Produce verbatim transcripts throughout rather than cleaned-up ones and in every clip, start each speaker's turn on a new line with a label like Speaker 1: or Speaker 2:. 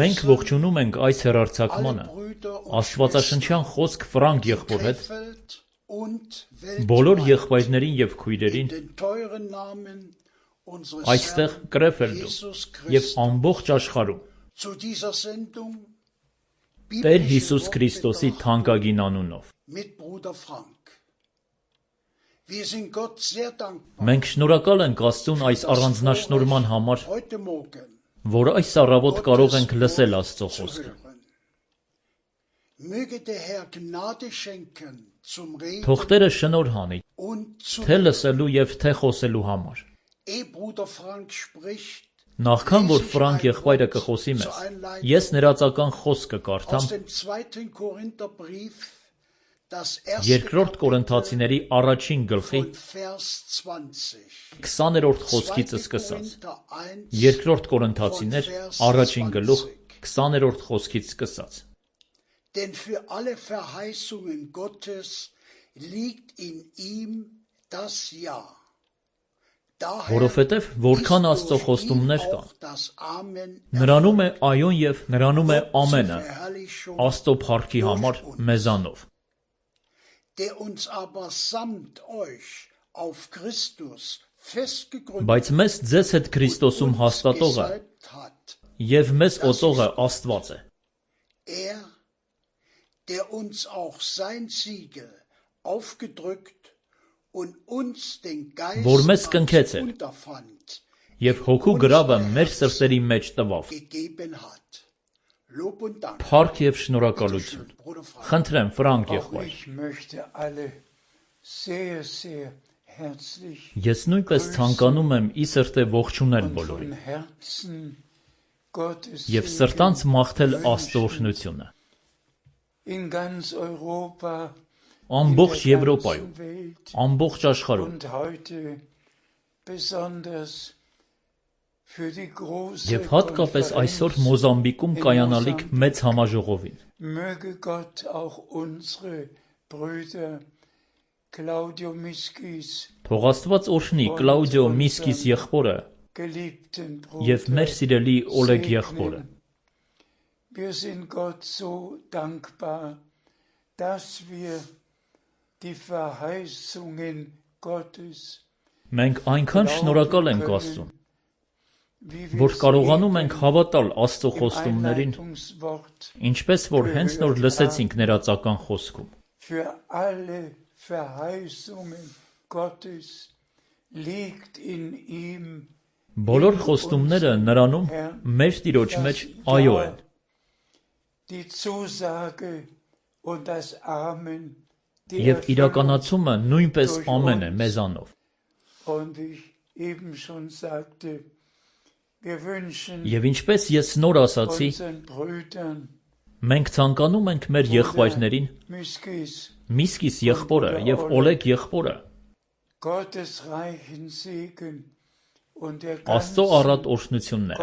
Speaker 1: Մենք ողջունում ենք այս հեռարձակմանը Աստվածաշնչյան խոսք Ֆրանկ եղբոր հետ, բոլոր եղբայրներին և քույրերին, այստեղ Կրեֆելդում և ամբողջ աշխարհում, Տեր Հիսուս Քրիստոսի թանկագին անունով։ Մենք շնորհակալ ենք Աստծուն այս առանձնաշնորհման համար, որ այս առավոտ կարող ենք լսել Աստծո խոսքը։ Թող Տերը շնորհ անի թե լսելու և թե խոսելու համար։ Նախքան որ Ֆրանկ եղբայրը կխոսի մեզ, ես ներածական խոսքը կարդամ Երկրորդ Կորինթացիների առաջին գլխի քսաներորդ խոսքից սկսած։ Երկրորդ Կորինթացիներ առաջին գլուխ քսաներորդ խոսքից սկսած։
Speaker 2: Denn für alle Verheißungen Gottes liegt in ihm das Ja.
Speaker 1: Որովհետև որքան Աստծո խոստումներ կան, նրանում է այոն և նրանում է ամենը, Աստծո փառքի համար մեզանով։ Բայց մեզ ձեզ հետ Քրիստոսում հաստատողը և մեզ օծողը Աստված է։
Speaker 2: Der uns auch sein Siegel aufgedrückt und uns den Geist unterfand
Speaker 1: և հոգու գրավը մեր սրտերի մեջ տվավ։ Փառք և շնորհակալություն։ Խնդրեմ, Ֆրանկ եղբայր։ Ես նույնպես ցանկանում եմ ի սրտե ողջունել բոլորին և սրտանց մաղթել Աստծո օրհնությունը։ Ամբողջ Եվրոպայում, ամբողջ աշխարհում և հատկապես այսօր Մոզամբիկում կայանալիք մեծ համաժողովին։ Թող Աստված օրհնի Կլաուդիո Միսկիս եղբորը և մեր սիրելի Օլեգ եղբորը։
Speaker 2: Wir sind Gott so dankbar, dass wir die Verheißungen Gottes
Speaker 1: Մենք այնքան շնորհակալ ենք Աստծուն, որ կարողանում ենք հավատալ Աստծո խոստումներին, ինչպես որ հենց նոր լսեցինք ներածական խոսքում։
Speaker 2: Für alle Verheißungen Gottes liegt in ihm
Speaker 1: Բոլոր խոստումները նրանում մեր Տիրոջ մեջ այո են։
Speaker 2: Die Zusage und das Amen
Speaker 1: Եվ իրականացումը նույնպես ամեն է մեզանով։ Եվ ինչպես ես նոր ասացի, մենք ցանկանում ենք մեր եղբայրներին, Միսկիս եղբորը և Օլեգ եղբորը, Աստծո առատ օրհնություններ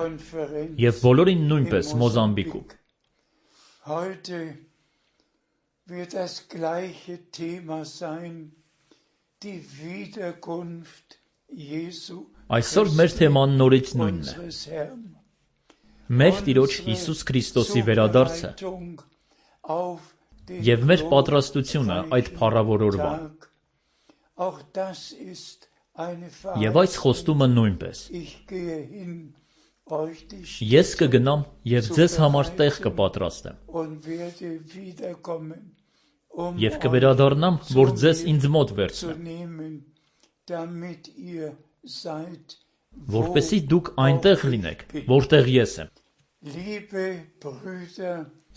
Speaker 1: և բոլորին նույնպես Մոզամբիկում։
Speaker 2: Heute wird das gleiche Thema sein, die Wiederkunft Jesu
Speaker 1: Այսօր մեր թեման նորից նույնն է։ Մեր Տիրոջ Հիսուս Քրիստոսի վերադարձը և մեր պատրաստությունը այդ փառավոր օրվան։ Եվ այս խոստումը նույնպես։ Ես կգնամ և ձեզ համար տեղ կպատրաստեմ և կվերադառնամ, որ ձեզ ինձ մոտ վերցնեմ, որպեսզի դուք այնտեղ լինեք, որտեղ ես եմ։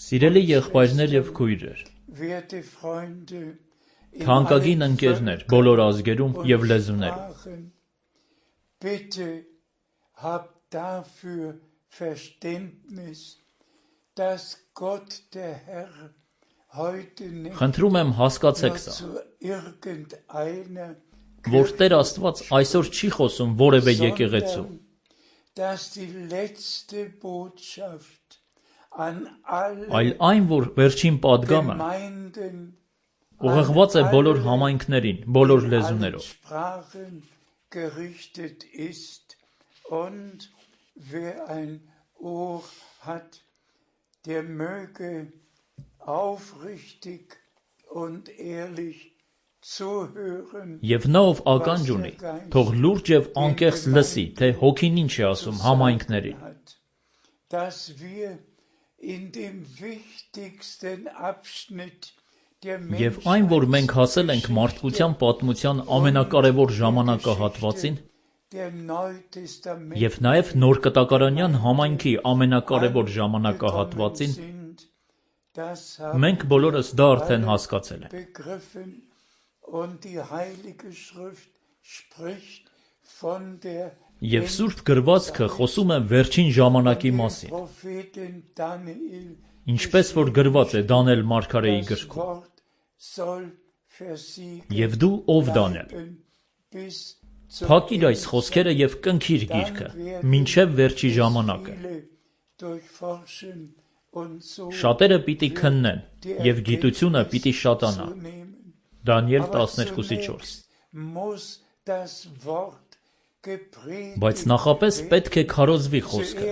Speaker 1: Սիրելի եղբայրներ և քույրեր, թանկագին ընկերներ բոլոր ազգերում և լեզուներում,
Speaker 2: dafür Verständnis, dass Gott der Herr heute
Speaker 1: Խնդրում եմ հասկացեք սա,
Speaker 2: irgendeiner
Speaker 1: որ Տեր Աստված այսօր չի խոսում որևէ եկեղեցու, այլ այն, որ վերջին պատգամը ուղղված է բոլոր համայնքներին, բոլոր լեզուներով։
Speaker 2: Und wer ein Ohr hat, der möge aufrichtig und ehrlich zuhören.
Speaker 1: Եվ նա ով ականջ ունի, թող լուրջ եւ անկեղծ լսի, թե հոգին ինչ է ասում համայնքներին։
Speaker 2: Dass wir in dem wichtigsten Abschnitt der
Speaker 1: Եվ այն, որ մենք հասել ենք մարդկության պատմության ամենակարևոր ժամանակահատվածին, եւ նաեւ նոր կտակարանյան համայնքի ամենակարևոր ժամանակահատվածին, մենք բոլորս դա արդեն հասկացել ենք։
Speaker 2: Und die Heilige Schrift spricht von der
Speaker 1: Եվ Սուրբ գրվածքը խոսում է վերջին ժամանակի մասին, ինչպես որ գրված է Դանիել մարգարեի գրքում։ Եվ դու ով Դանիել, փակիր այս խոսքերը եւ կնքիր գիրքը, մինչեւ վերջի ժամանակը։ Շատերը պիտի քննեն եւ գիտությունը պիտի շատանա։ Դանիել տասներկու չորս։ Բայց նախապես պետք է քարոզվի խոսքը։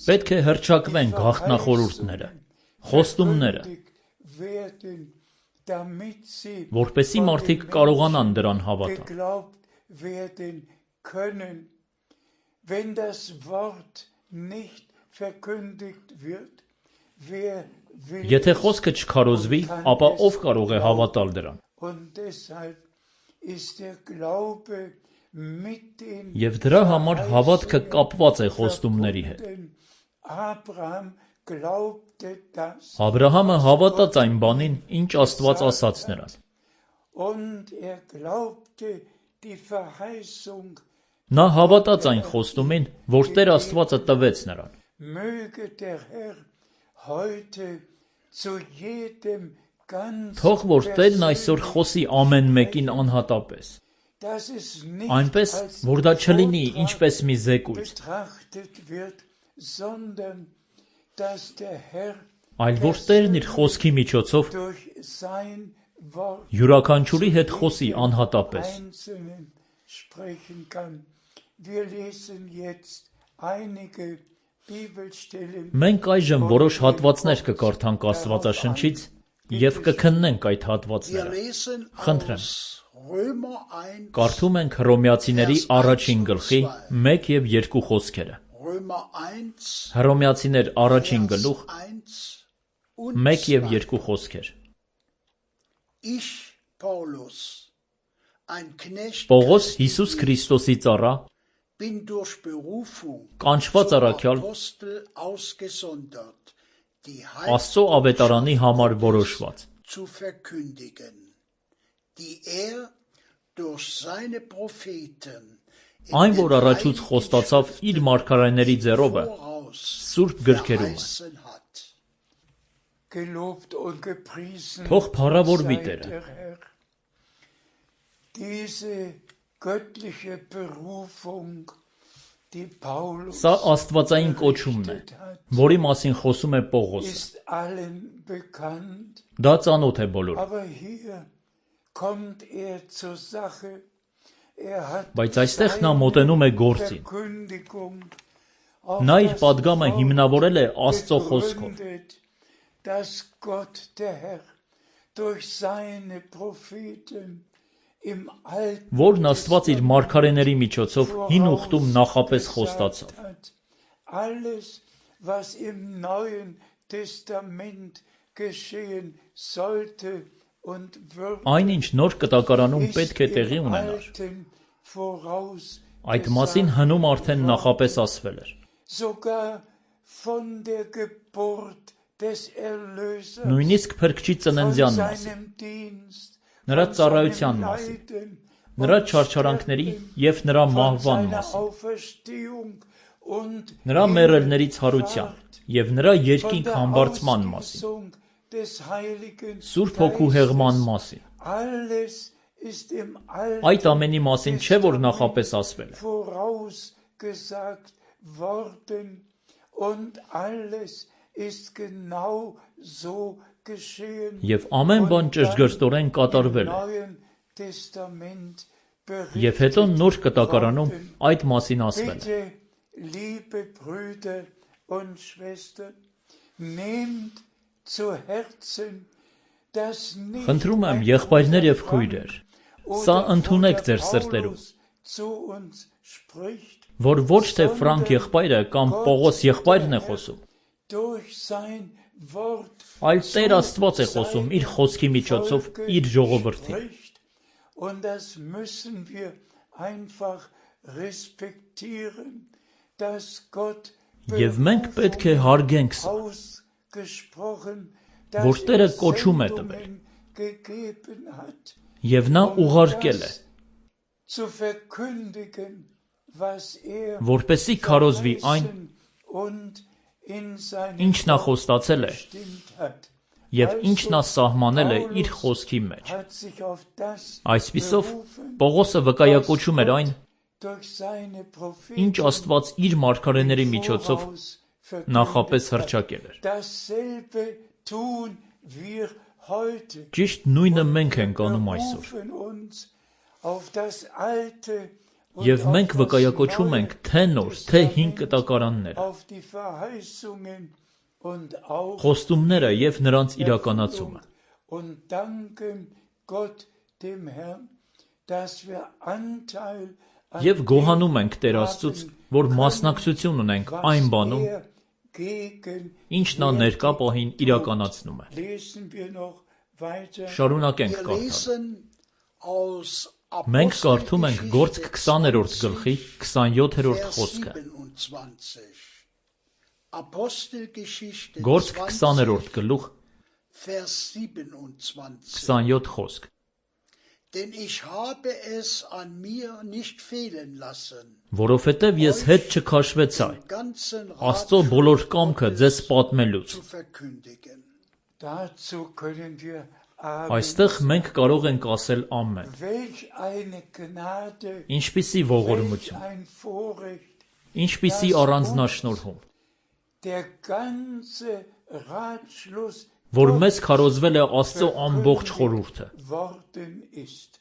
Speaker 1: Պետք է հռչակվեն գաղտնախորհուրդները, խոստումները, որպեսզի մարդիկ կարողանան դրան հավատալ։ Եթե խոսքը չքարոզվի, ապա ով կարող է հավատալ դրան։ Եվ դրա համար հավատքը կապված է խոստումների հետ։ Աբրահամը հավատաց այն բանին, ինչ Աստված ասաց նրան։ Նա հավատաց այն խոստումին, որ Տեր Աստվածը տվեց նրան։ Թող որ Տերն այսօր խոսի ամեն մեկին անհատապես, այնպես, որ դա չլինի ինչպես մի զեկույց, այլ որ Տերն իր խոսքի միջոցով յուրաքանչյուրի հետ խոսի անհատապես։ Մենք այժմ որոշ հատվածներ կկարդանք Աստվածաշնչից և կքննենք այդ հատվածները։ Խնդրեմ, կարդում ենք Հռոմեացիների առաջին գլխի մեկ և երկու խոսքերը։ Հռոմեացիներ առաջին գլուխ մեկ և երկու խոսքեր։ Պողոս Հիսուս Քրիստոսի ծառա, կանչված առաքյալ, Աստծո ավետարանի համար որոշված, այն, որ առաջուց խոստացավ իր մարգարեների ձեռովը սուրբ գրքերում է։ Թող փառավորվի Տերը։ Սա աստվածային կոչումն է, որի մասին խոսում է Պողոսը։ Դա ծանոթ է բոլորին։ Բայց այստեղ նա մոտենում է գործին։ Նա իր պատգամը հիմնավորել է Աստծո խոսքով։ Որն Աստված իր մարգարեների միջոցով հին ուխտում նախապես խոստացավ։ Այն, ինչ նոր կտակարանում պետք է տեղի ունենար, այդ մասին հնում արդեն նախապես ասվել էր։ Նույնիսկ Փրկչի ծննդյան մասին, նրա ծառայության մասին, նրա չարչարանքների և նրա մահվան մասին, նրա մեռելների ցարության և նրա երկինք համբարձման մասին, Սուրբ Հոգու հեղման մասին։ Այդ ամենի մասին չէ, որ նախապես ասվել է։ Եվ ամեն բան ճշգրտորեն կատարվել է։ Եվ հետո նոր կտակարանում այդ մասին ասվել է։
Speaker 2: liebe Brüder und Schwestern, nehmt zu Herzen, dass nicht
Speaker 1: Խնդրում եմ եղբայրներ եւ քույրեր, սա ընդունեք ձեր սրտերում,
Speaker 2: zu uns spricht,
Speaker 1: որ ոչ թե Ֆրանկ եղբայրը կամ Պողոս եղբայրն է խոսում,
Speaker 2: durch sein Wort
Speaker 1: այլ Տեր Աստված է խոսում իր խոսքի միջոցով իր ժողովրդին։
Speaker 2: spricht. Und das müssen wir einfach respektieren, dass Gott
Speaker 1: Եվ մենք պետք է հարգենք սա,
Speaker 2: ausgesprochen,
Speaker 1: որ
Speaker 2: dass
Speaker 1: Տերը
Speaker 2: er
Speaker 1: կոչում է տվել,
Speaker 2: Sendungen gegeben hat,
Speaker 1: եւ նա ուղարկել է,
Speaker 2: zu verkündigen, was er
Speaker 1: որպեսզի քարոզվի այն,
Speaker 2: und in seinem
Speaker 1: ինչ նա խոստացել է,
Speaker 2: bestimmt hat.
Speaker 1: եւ ինչ նա սահմանել է իր խոսքի մեջ։
Speaker 2: Hat sich auf das
Speaker 1: Այսպիսով
Speaker 2: berufen,
Speaker 1: Պողոսը վկայակոչում էր այն,
Speaker 2: durch seine
Speaker 1: ինչ
Speaker 2: Propheten
Speaker 1: Աստված իր մարգարեների միջոցով
Speaker 2: voraus
Speaker 1: նախապես
Speaker 2: verkündet hat.
Speaker 1: հռչակել էր։
Speaker 2: Dasselbe tun wir heute.
Speaker 1: Ճիշտ նույնը մենք ենք անում այսօր։
Speaker 2: Berufen uns auf das Alte und
Speaker 1: Եվ
Speaker 2: auf
Speaker 1: մենք
Speaker 2: das
Speaker 1: վկայակոչում ենք
Speaker 2: Neue
Speaker 1: թե նոր, թե հին
Speaker 2: Testament,
Speaker 1: կտակարանները,
Speaker 2: auf die Verheißungen und auch
Speaker 1: խոստումները եւ նրանց իրականացումը։
Speaker 2: und danken Gott dem Herrn, dass wir Anteil an
Speaker 1: Եվ գոհանում ենք Տեր
Speaker 2: dem
Speaker 1: Աստծուց,
Speaker 2: haben
Speaker 1: որ
Speaker 2: können,
Speaker 1: մասնակցություն ունենք այն բանում,
Speaker 2: was er gegen
Speaker 1: ինչ նա ներկա պահին իրականացնում է։
Speaker 2: lesen wir noch weiter.
Speaker 1: Շարունակենք
Speaker 3: Wir
Speaker 1: կարդալ։
Speaker 3: lesen aus
Speaker 1: Մենք կարդում ենք Գործք
Speaker 3: Apostelgeschichte
Speaker 1: քսաներորդ գլխի քսանյոթերորդ
Speaker 3: Vers
Speaker 1: խոսքը։
Speaker 3: siebenundzwanzig. Apostelgeschichte
Speaker 1: Գործք
Speaker 3: zwanzig,
Speaker 1: քսաներորդ գլուխ
Speaker 3: Vers siebenundzwanzig.
Speaker 1: քսանյոթ խոսք։
Speaker 3: Denn ich habe es an mir nicht fehlen lassen,
Speaker 1: Որովհետև ես հետ չքաշվեցա
Speaker 3: den ganzen
Speaker 1: Աստծո
Speaker 3: Rat
Speaker 1: բոլոր կամքը ձեզ պատմելուց։
Speaker 3: zu verkündigen.
Speaker 2: Dazu können wir aber
Speaker 1: Այստեղ մենք կարող ենք ասել ամեն։
Speaker 2: welch eine Gnade,
Speaker 1: Ինչպիսի
Speaker 2: welch
Speaker 1: ողորմություն,
Speaker 2: ein Vorrecht,
Speaker 1: ինչպիսի առանձնաշնորհում,
Speaker 2: der ganze Ratschluss
Speaker 1: որ մեզ քարոզվել է Աստծո ամբողջ խորհուրդը։
Speaker 2: worden ist.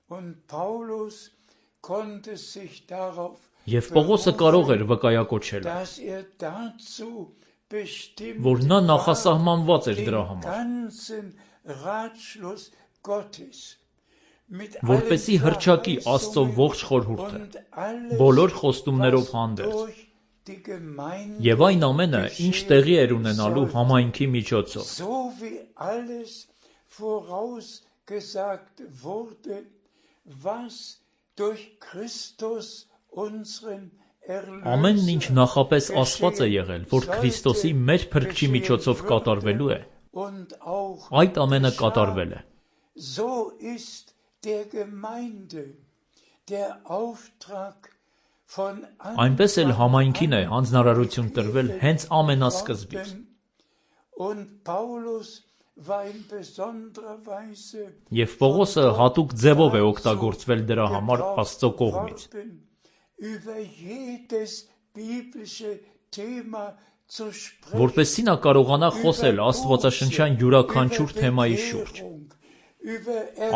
Speaker 2: Und Paulus konnte sich darauf
Speaker 1: Եվ Պողոսը կարող էր վկայակոչել,
Speaker 2: dass er dazu bestimmt
Speaker 1: որ նա
Speaker 2: war,
Speaker 1: նախասահմանված էր դրա
Speaker 2: den
Speaker 1: համար,
Speaker 2: ganzen Ratschluss Gottes mit
Speaker 1: որպեսզի
Speaker 2: allen
Speaker 1: հռչակի Աստծո
Speaker 2: Verheißungen
Speaker 1: ողջ խորհուրդը,
Speaker 2: und alles,
Speaker 1: բոլոր խոստումներով
Speaker 2: was
Speaker 1: հանդերձ,
Speaker 2: durch die Gemeinde
Speaker 1: եւ այն ամենը, ինչ տեղի էր ունենալու համայնքի միջոցով,
Speaker 2: so wie alles vorausgesagt wurde, was durch Christus unseren
Speaker 1: ամեն ինչ
Speaker 2: Erlöser
Speaker 1: նախապես ասված է եղել, որ Քրիստոսի մեր փրկչի միջոցով կատարվելու է,
Speaker 2: und auch
Speaker 1: այդ ամենը կատարվել է։
Speaker 2: so ist der Gemeinde der Auftrag von
Speaker 1: Այնպես էլ համայնքին է հանձնարարություն տրվել հենց ամենասկզբից։
Speaker 2: und Paulus war in besonderer Weise
Speaker 1: Եվ Պողոսը հատուկ ձևով է օգտագործվել դրա համար Աստծո կողմից,
Speaker 2: worden, über jedes biblische Thema zu sprechen,
Speaker 1: որպեսզի նա կարողանա խոսել աստվածաշնչյան յուրաքանչյուր թեմայի շուրջ,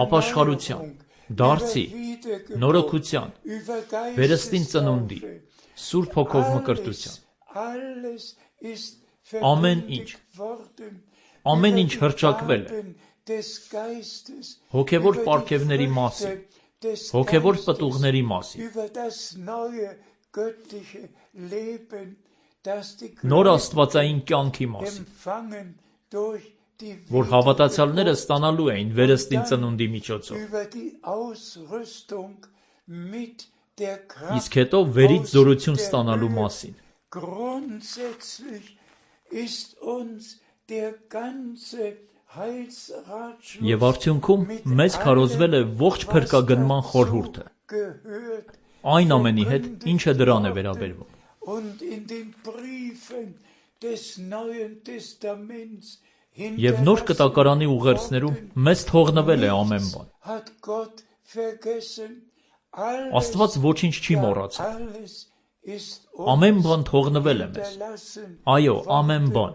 Speaker 1: ապաշխարության, դարձի, նորոգության, վերստին ծնունդի, Սուրբ Հոգով մկրտության, ամեն ինչ, ամեն ինչ հռչակվել է հոգևոր պարգևների մասին, հոգևոր պտուղների մասին, նոր աստվածային կյանքի մասին, որ հավատացյալները ստանալու էին վերստին ծնունդի միջոցով, իսկ հետո վերից զորություն ստանալու մասին։ Եվ արդյունքում մեզ քարոզվել է ողջ փրկագնման խորհուրդը, այն ամենի հետ, ինչը դրան է վերաբերվում։ Եվ նոր կտակարանի ուղերձներում մեզ թողնվել է ամեն բան։ Աստված ոչինչ չի մոռացել։ Ամեն բան թողնվել է մեզ։ Այո, ամեն բան։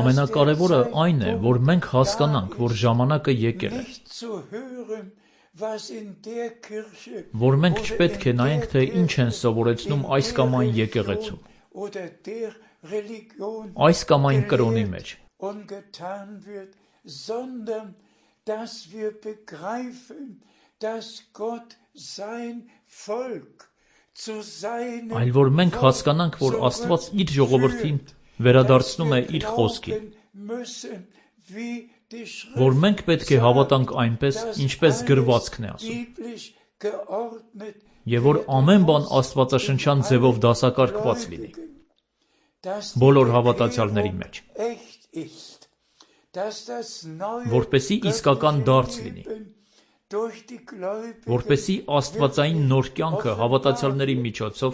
Speaker 1: Ամենակարևորը այն է, որ մենք հասկանանք, որ ժամանակը եկել է, որ մենք չպետք է նայենք, թե ինչ են սովորեցնում այս կամ այն եկեղեցում, այս կամ այն կրոնի մեջ, այլ որ մենք հասկանանք, որ Աստված իր ժողովրդին վերադարձնում է իր խոսքին, որ մենք պետք է հավատանք այնպես, ինչպես գրվածքն է ասում, եւ որ ամեն բան աստվածաշնչյան ձևով դասակարգված լինի բոլոր հավատացյալների մեջ, որպեսզի իսկական դարձ լինի, որպեսզի աստվածային նոր կյանքը հավատացյալների միջոցով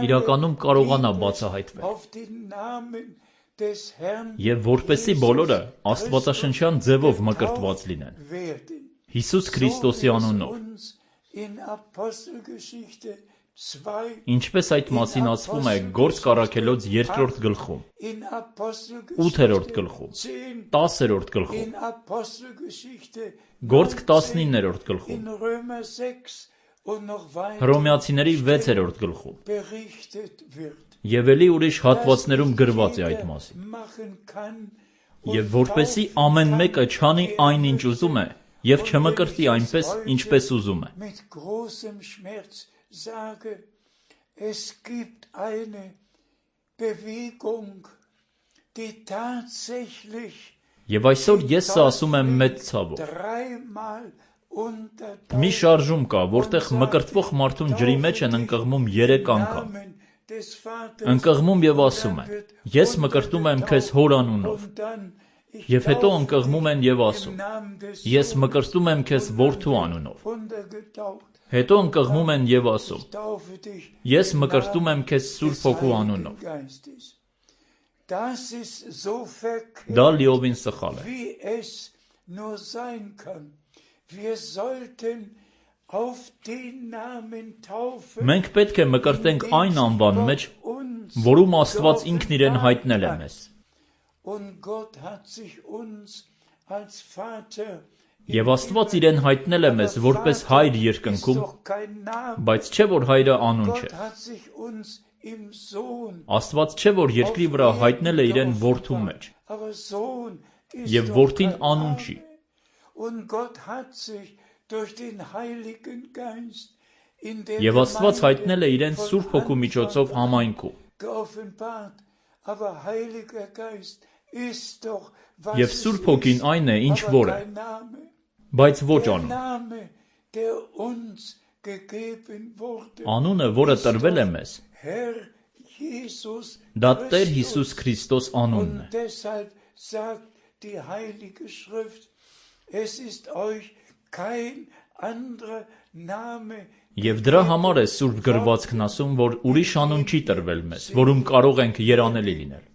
Speaker 1: իրականում կարողանա բացահայտվել, եւ որպեսզի բոլորը աստվածաշնչյան ձևով մկրտված լինեն Հիսուս Քրիստոսի անունով, ինչպես այդ մասին ասվում է Գործք առաքելոց երկրորդ գլխում, ութերորդ գլխում, տասերորդ գլխում, Գործք տասնիններորդ գլխում, Հռոմեացիների վեցերորդ գլխում, եւ ելի ուրիշ հատվածներում գրված է այդ մասին, եւ որպեսզի ամեն մեկը չանի այն, ինչ ուզում է, եւ չմկրտի այնպես, ինչպես ուզում է, Եվ այսօր ես սա ասում եմ մեծ ցավով, մի շարժում կա, որտեղ մկրտվող մարդուն ջրի մեջ են ընկղմում երեք անգամ, ընկղմում եւ ասում են, ես մկրտում եմ քեզ հոր անունով, եւ հետո ընկղմում են եւ ասում, ես մկրտում եմ քեզ որդու անունով, հետո ընկղմում են եւ ասում, ես մկրտում եմ քեզ Սուրբ Հոգու անունով, դա լիովին սխալ է, մենք պետք է մկրտենք այն անվան մեջ, որում Աստված ինքն իրեն հայտնել է մեզ, եւ Աստված իրեն հայտնել է մեզ որպես հայր երկնքում, բայց չէ որ հայրը անուն չէ, Աստված չէ որ երկրի վրա հայտնել է իրեն որդու մեջ, եւ որդին անուն չի, եւ Աստված հայտնել է իրեն Սուրբ Հոգու միջոցով համայնքում, եւ Սուրբ Հոգին այն է, ինչ որ է, բայց ոչ անուն, անունը, որը տրվել է մեզ, դա Տեր Հիսուս Քրիստոս անունն է, Եվ դրա համար է Սուրբ գրվածքն ասում, որ ուրիշ անուն չի տրվել մեզ, որում կարող ենք երանելի լինել,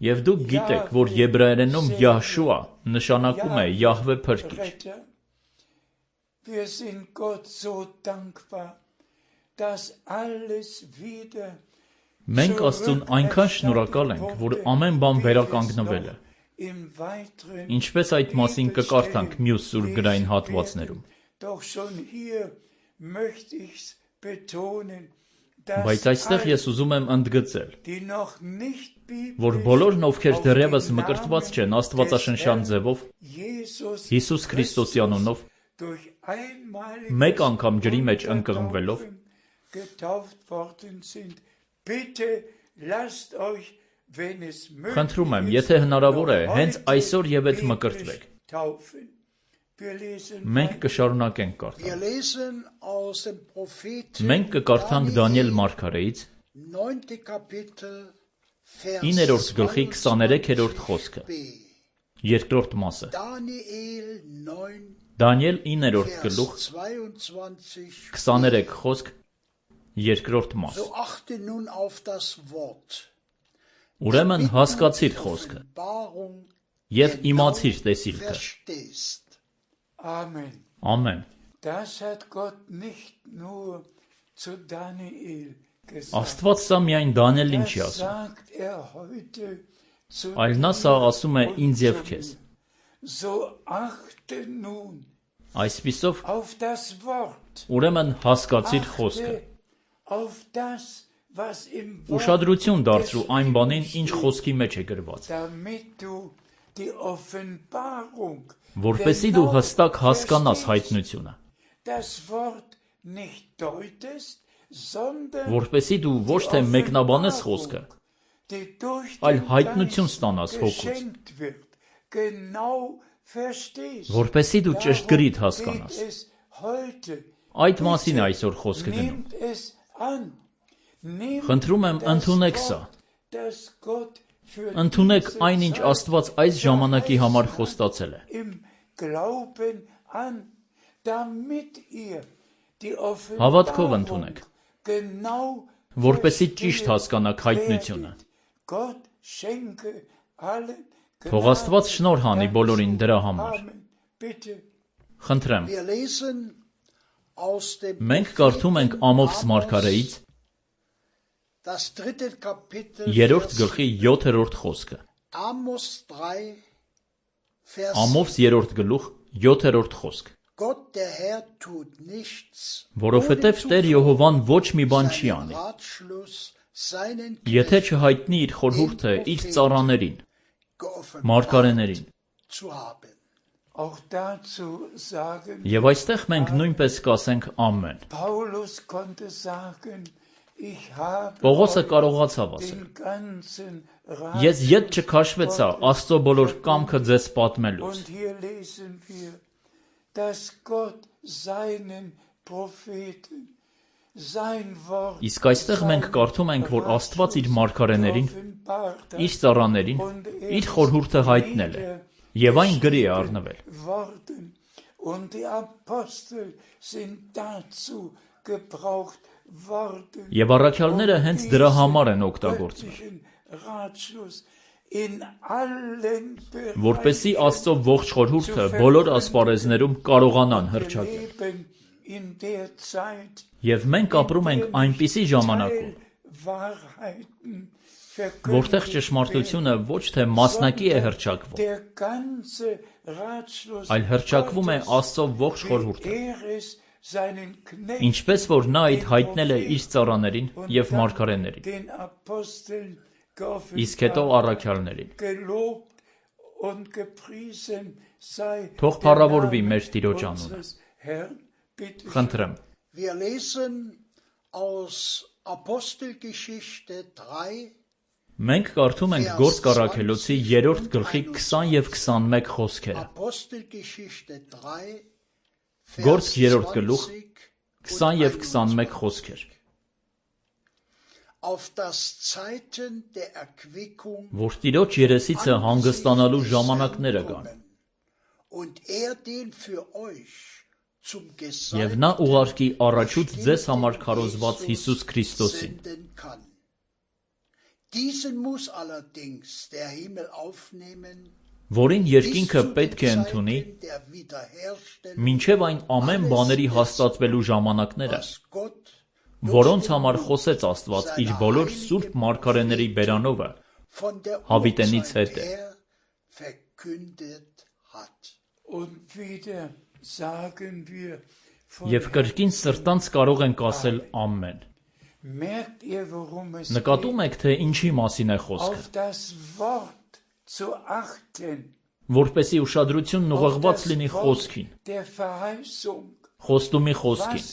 Speaker 1: Եվ դուք գիտեք, որ եբրայերենում Յահշուա նշանակում է Յահվե փրկիչ, Մենք Աստծուն այնքան շնորհակալ ենք, որ ամեն բան վերականգնվել է, ինչպես այդ մասին կկարդանք մյուս սուրբ գրային հատվածներում, բայց այստեղ ես ուզում եմ ընդգծել, որ բոլորն ովքեր դեռևս մկրտված չեն աստվածաշնչյան ձևով, Հիսուս Քրիստոսի անունով, մեկ անգամ ջրի մեջ ընկղմվելով, Խնդրում եմ, եթե հնարավոր է, հենց այսօր եւ այդ մկրտվեք, մենք կշարունակենք կարդալ, մենք կկարդանք Դանիել մարգարեից իններորդ գլխի քսաներեքերորդ խոսքը, երկրորդ մասը, Դանիել իններորդ գլուխ, քսաներեք խոսք, երկրորդ մաս, ուրեմն հասկացիր խոսքը և իմացիր տեսիլքը, Ամեն, Աստված սա միայն Դանիելին չի ասում, այլ նա սա ասում է ինձ և քեզ։ Այսպիսով, ուրեմն հասկացիր խոսքը։ Ուշադրություն դարձրու այն բանին, ինչ խոսքի մեջ է գրված, որպեսզի դու հստակ հասկանաս հայտնությունը, որպեսզի դու ոչ թե մեկնաբանես խոսքը, այլ հայտնություն ստանաս հոգուց, որպեսզի դու ճշգրիտ հասկանաս։ Այդ մասին է այսօր խոսքը գնում։ Խնդրում եմ, ընդունեք սա։ Ընդունեք այն, ինչ Աստված այս ժամանակի համար խոստացել է։ Հավատքով ընդունեք, որպեսզի ճիշտ հասկանաք հայտնությունը։ Թող Աստված շնորհ հանի բոլորին դրա համար։ Խնդրեմ։ Մենք կարդում ենք Ամովս մարգարեից երրորդ գլխի յոթերորդ խոսքը։ Ամովս երրորդ գլուխ յոթերորդ խոսք։ Որովհետև Տեր Եհովան ոչ մի բան չի անի, եթե չհայտնի իր խորհուրդը իր ծառաներին, մարգարեներին։ Եվ այստեղ մենք նույնպես կասենք ամեն։ Պողոսը կարողացավ ասել. Ես ետ չքաշվեցա Աստծո բոլոր կամքը ձեզ պատմելուց։ Իսկ այստեղ մենք կարդում ենք, որ Աստված իր մարգարեներին, իր ծառաներին, իր խորհուրդը հայտնել է, և այն գրի է առնվել։ Եվ առաքյալները հենց դրա համար են օգտագործվել, որպեսզի Աստծո ողջ խորհուրդը բոլոր ասպարեզներում կարողանան հռչակել։ Եվ մենք ապրում ենք այնպիսի ժամանակում, որտեղ ճշմարտությունը ոչ թե մասնակի է հռչակվում, այլ հռչակվում է Աստծո ողջ խորհուրդը, ինչպես որ նա այդ հայտնել է իր ծառաներին և մարգարեներին, իսկ հետո առաքյալներին։ Թող փառավորվի մեր Տիրոջ անունը։ Խնդրեմ։ Մենք կարդում ենք Գործք առաքելոցի երրորդ գլխի քսան և քսանմեկ խոսքերը։ Գործք երրորդ գլուխ քսան և քսանմեկ խոսքեր։ Որ Տիրոջ երեսիցը հանգստանալու ժամանակները գան, և նա ուղարկի առաջուց ձեզ համար քարոզված Հիսուս Քրիստոսին, որին երկինքը պետք է ընդունի, մինչև այն ամեն բաների հաստատվելու ժամանակները, որոնց համար խոսեց Աստված իր բոլոր սուրբ մարգարեների բերանովը հավիտենից հետը։ Եվ կրկին սրտանց կարող ենք ասել ամեն։ Նկատում եք, թե ինչի մասին է խոսքը, որպեսզի ուշադրությունն ուղղված լինի խոսքին, խոստումի խոսքին,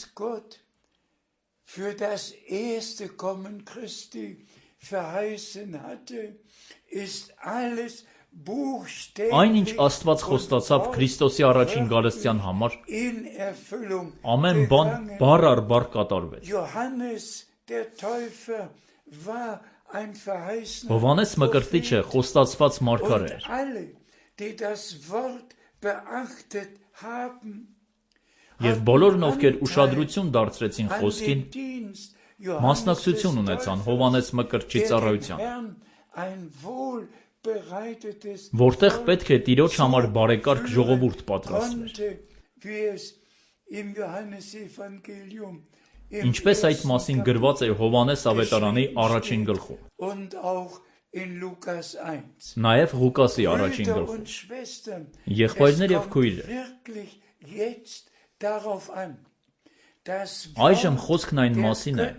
Speaker 1: այն, ինչ Աստված խոստացավ Քրիստոսի առաջին գալստյան համար, ամեն բան բառ առ բառ կատարվեց։ Հովհաննես Մկրտիչը խոստացված մարգարե էր։ Եվ բոլորն, ովքեր ուշադրություն դարձրեցին խոսքին, մասնակցություն ունեցան Հովհաննես Մկրտչի ծառայության, որտեղ պետք է Տիրոջ համար բարեկարգ ժողովուրդ պատրաստվեր։ ինչպես այդ մասին գրված է Հովհաննես ավետարանի առաջին գլխում, նաև Ղուկասի առաջին գլխում։ Եղբայրներ և քույրեր, այժմ խոսքն այն մասին է,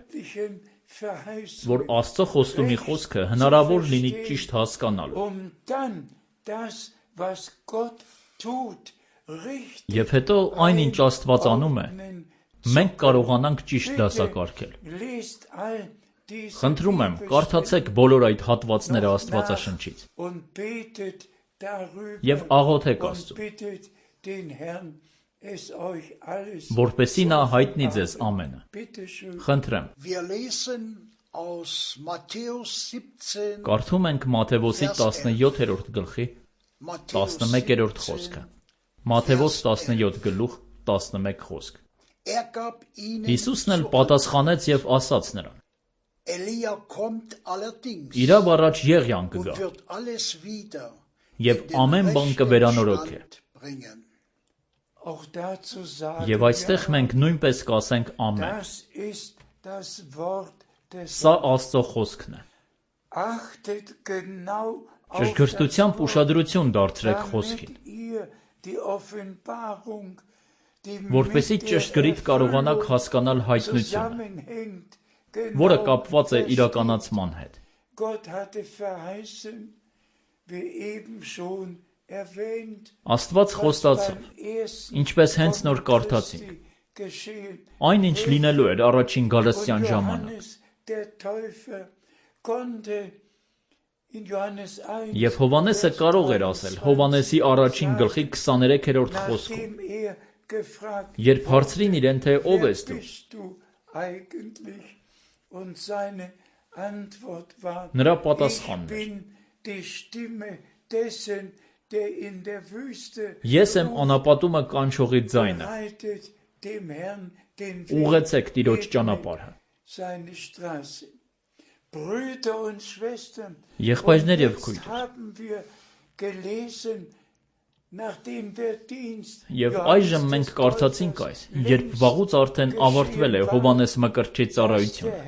Speaker 1: որ Աստծո խոստումի խոսքը հնարավոր լինի ճիշտ հասկանալու, և հետո այն, ինչ Աստված անում է, մենք կարողանանք ճիշտ դասակարգել։ Խնդրում եմ, կարդացեք բոլոր այդ հատվածները Աստվածաշնչից և աղոթեք Աստծուն, որպեսզի նա հայտնի ձեզ ամենը։ Խնդրեմ։ Կարդում ենք Մատթեոս տասնյոթերորդ գլխի տասնմեկերորդ խոսքը։ Մատթեոս տասնյոթ գլուխ տասնմեկ խոսք։ Հիսուսն էլ պատասխանեց և ասաց նրան. Իրավ առաջ Եղիան կգա, և ամեն բան կվերանորոգե։ Եվ այստեղ մենք նույնպես կասենք ամեն։ Սա Աստծո խոսքն է։ Ճշգրտությամբ ուշադրություն դարձրեք խոսքին, որպեսզի ճշգրիտ կարողանաք հասկանալ հայտնությունը, որը կապված է իրականացման հետ։ Աստված խոստացավ, ինչպես հենց նոր կարդացինք, այն ինչ լինելու էր առաջին գալստյան ժամանակ։ Եվ Հովհաննեսը կարող էր ասել Հովհաննեսի առաջին գլխի քսաներեքերորդ խոսքում, երբ հարցրին իրեն, թե ով ես դու, նրա պատասխանն էր. Ես եմ անապատումը կանչողի ձայնը, ուղղեցեք Տիրոջ ճանապարհը։ Եղբայրներ և քույրեր, և այժմ մենք կարդացինք այս, երբ վաղուց արդեն ավարտվել է Հովհաննես Մկրտչի ծառայությունը։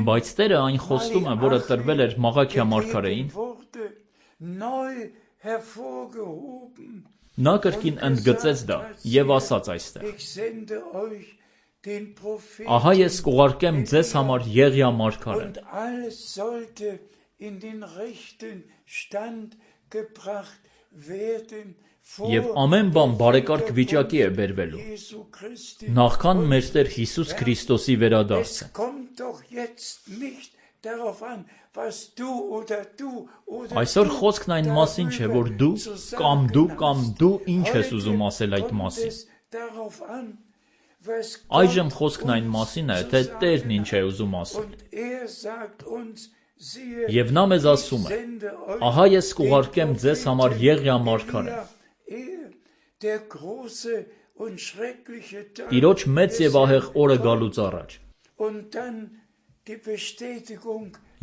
Speaker 1: Բայց Տերը այն խոստումը, որը տրվել էր Մաղաքիա մարգարեին, նա կրկին ընդգծեց դա և ասաց այստեղ. Ահա ես կուղարկեմ ձեզ համար Եղիա մարգարեն, և ամեն բան բարեկարգ վիճակի է բերվելու, նախքան մեր Տեր Հիսուս Քրիստոսի վերադարձը։ Այսօր խոսքն այն մասին չէ, որ դու կամ դու կամ դու ինչ ես ուզում ասել այդ մասին։ Այժմ խոսքն այն մասին է, թե Տերն ինչ է ուզում ասել։ Եվ նա մեզ ասում է. ահա ես կուղարկեմ ձեզ համար Եղիա մարգարեն, Տիրոջ մեծ և ահեղ օրը գալուց առաջ։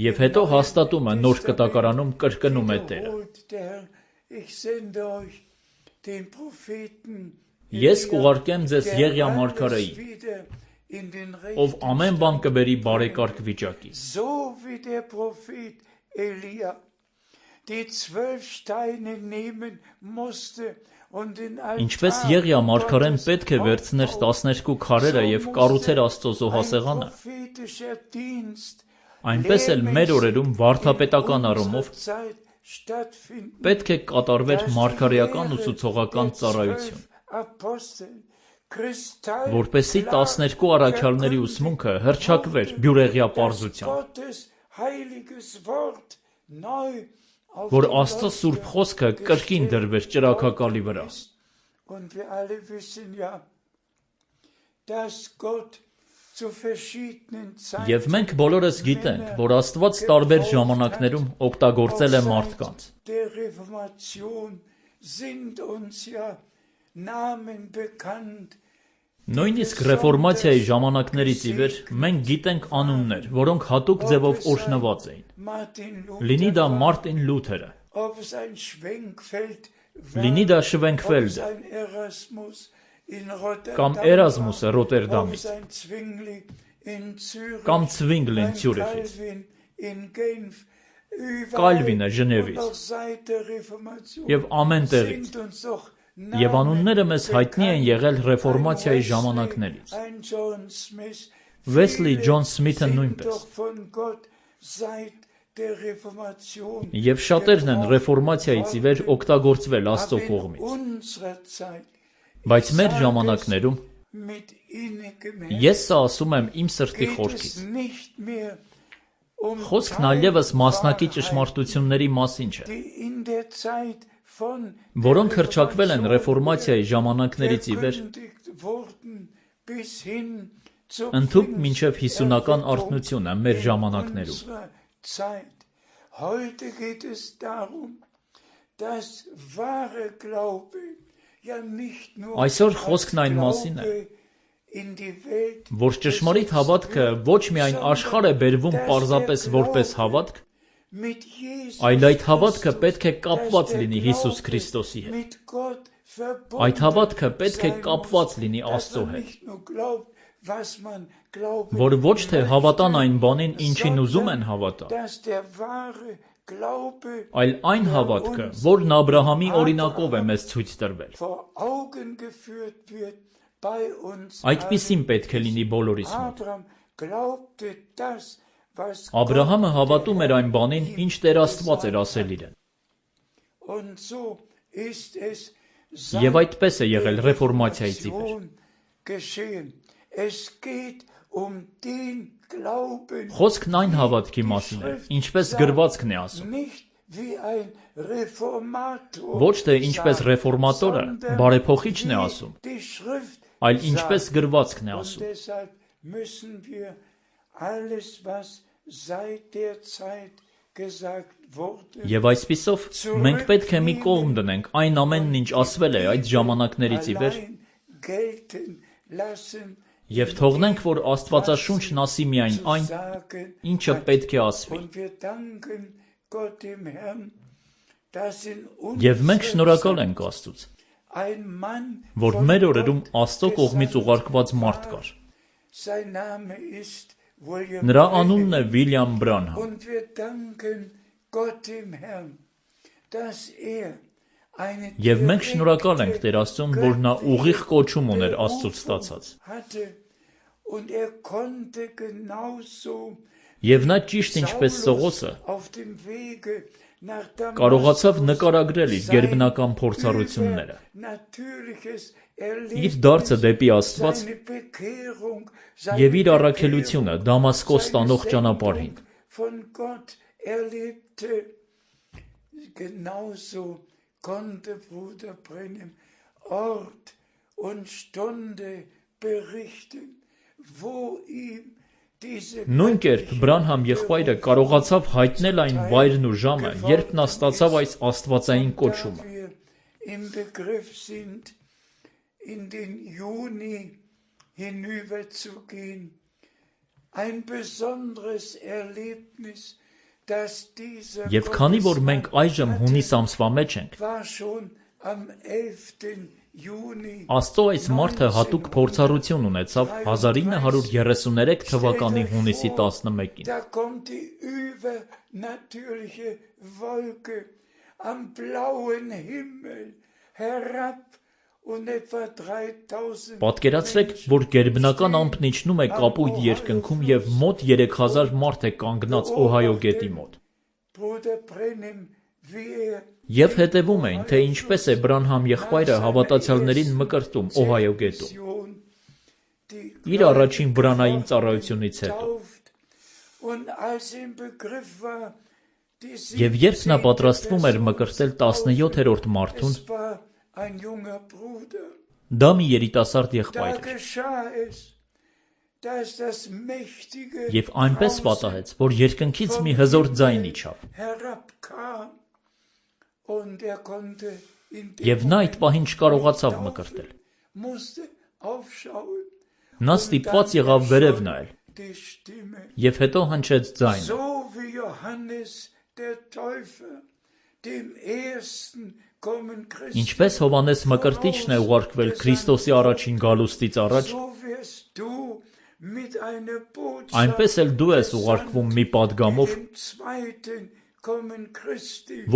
Speaker 1: Եվ հետո հաստատումը Նոր Կտակարանում կրկնում է Տերը. Ես կուղարկեմ ձեզ Եղիա մարգարեին, ով ամեն բան կբերի բարեկարգ վիճակի։ Ինչպես Եղիա մարգարեն պետք է վերցներ տասներկու քարերը և կառուցեր Աստծո զոհասեղանը, այնպես էլ մեր օրերում վարդապետական առումով պետք է կատարվեր մարգարեական ուսուցողական ծառայություն, որպեսզի տասներկու առաքյալների ուսմունքը հռչակվեր բյուրեղյա պարզությամբ, որ Աստծո սուրբ խոսքը կրկին դրվեր ճրագակալի վրա։ Եվ մենք բոլորս գիտենք, որ Աստված տարբեր ժամանակներում օգտագործել է մարդկանց։ Նույնիսկ ռեֆորմացիայի ժամանակներից ի վեր մենք գիտենք անուններ, որոնք հատուկ ձևով օրհնված էին։ Լինի դա Մարտին Լութերը, լինի դա Շվենքվելդը, կամ Էրազմուսը Ռոտերդամից, կամ Ցվինգլին Ցյուրիխից, Կալվինը Ժնևից եւ ամեն տեղից։ Եվ անունները մեզ հայտնի են եղել ռեֆորմացիայի ժամանակներից։ Վեսլի Ջոն Սմիթը նույնպես։ Եվ շատերն են ռեֆորմացիայից ի վեր օգտագործվել Աստծո կողմից։ Բայց մեր ժամանակներում ես սա ասում եմ իմ սրտի խորքից։ Խոսքն այլևս մասնակի ճշմարտությունների մասին չէ, որոնք հռչակվել են ռեֆորմացիայի ժամանակներից ի վեր, ընդհուպ մինչև հիսունական արթնությունը մեր ժամանակներում։ Այսօր խոսքն այն մասին է, որ ճշմարիտ հավատքը ոչ միայն աշխարհ է բերվում պարզապես որպես հավատք, այլ այդ հավատքը պետք է կապված լինի Հիսուս Քրիստոսի հետ։ Այդ հավատքը պետք է կապված լինի Աստծո հետ, որ ոչ թե հավատան այն բանին, ինչին ուզում են հավատալ, այլ այն հավատքը, որն Աբրահամի օրինակով է մեզ ցույց տրվել։ Այդպիսին պետք է լինի բոլորիս մոտ։ Աբրահամը հավատում էր այն բանին, ինչ Տեր Աստված էր ասել իրեն։ Եվ այդպես է եղել ռեֆորմացիայից ի վեր։ Խոսքն այն հավատքի մասին է, ինչպես գրվածքն է ասում։ Ոչ թե ինչպես ռեֆորմատորը, բարեփոխիչն է ասում, այլ ինչպես գրվածքն է ասում։ Եվ այսպիսով մենք պետք է մի կողմ դնենք այն ամենն, ինչ ասվել է այդ ժամանակներից ի վեր, եւ թողնենք, որ Աստվածաշունչն ասի միայն այն, ինչը պետք է ասվի։ Եվ մենք շնորհակալ ենք Աստծուց, որ մեր օրերում Աստծո կողմից ուղարկված մարդ կար։ Նրա անունն է Վիլյամ Բրանհամ։ Եվ մենք շնորհակալ ենք Տեր Աստծուն, որ նա ուղիղ կոչում ուներ Աստծուց ստացած։ Եվ նա ճիշտ ինչպես Սողոսը կարողացավ նկարագրել իր գերբնական փորձառությունները, իր դարձը դեպի Աստված եւ իր առաքելությունը Դամասկոս տանող ճանապարհին։
Speaker 2: Konnte Bruder Brenhem Ort und Stunde berichten, wo ihm diese
Speaker 1: Նույն կերպ Բրանհամ եղբայրը կարողացավ հայտնել այն վայրն ու ժամը, երբ նա ստացավ այս աստվածային կոչումը։
Speaker 2: Im Begriff sind, in den Juni hinüberzugehen, ein besonderes Erlebnis.
Speaker 1: Եվ քանի որ մենք այժմ հունիս ամսվա մեջ ենք, Աստծո այս մարդը հատուկ փորձառություն ունեցավ հազար ինը հարյուր երեսուներեք թվականի հունիսի տասնմեկին։ Պատկերացրեք, որ գերբնական ամպն իջնում է կապույտ երկնքում եւ մոտ երեք հազար մարդ է կանգնած Օհայո գետի մոտ։ Եվ հետևում էին, թե ինչպես է Բրանհամ եղբայրը հավատացյալներին մկրտում Օհայո գետում։ Իր առաջին վրանային ծառայությունից հետո։ Եվ երբ նա պատրաստվում էր մկրտել տասնյոթերորդ մարդուն, դա մի երիտասարդ եղբայր էր։ Եվ այնպես պատահեց, որ երկնքից մի հզոր ձայն իջավ։ Եվ նա այդ պահին չկարողացավ մկրտել։ Նա ստիպված եղավ վերև նայել։ Եվ հետո հնչեց ձայնը. Ինչպես Հովհաննես Մկրտիչն է ուղարկվել Քրիստոսի առաջին գալուստից առաջ, այնպես էլ դու ես ուղարկվում մի պատգամով,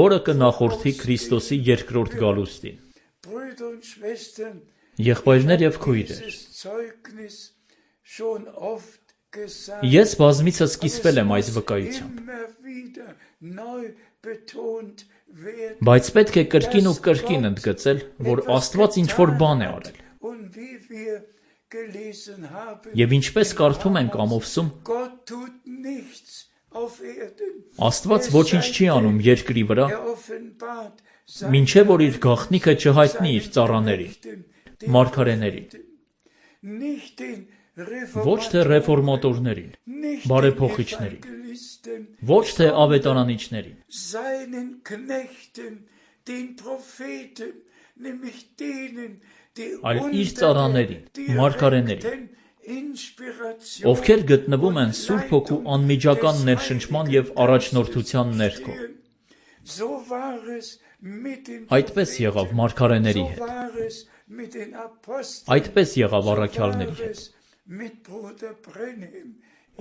Speaker 1: որը կնախորդի Քրիստոսի երկրորդ գալուստին։ Եղբայրներ և քույրեր, ես բազմիցս կիսվել եմ այս վկայությամբ, բայց պետք է կրկին ու կրկին ընդգծել, որ Աստված ինչ-որ բան է արել։ Եվ ինչպես կարդում ենք ամովսում, Աստված ոչինչ չի անում երկրի վրա, մինչև որ իր գաղտնիքը չհայտնի իր ծառաներին, մարգարեներին, ոչ թե ռեֆորմատորներին, բարեփոխիչներին, ոչ թե ավետարանիչներին, այլ իր ծառաներին, մարգարեներին, ովքեր գտնվում են Սուրբ Հոգու անմիջական ներշնչման և առաջնորդության ներքո։ Այդպես եղավ մարգարեների հետ, այդպես եղավ առաքյալների հետ,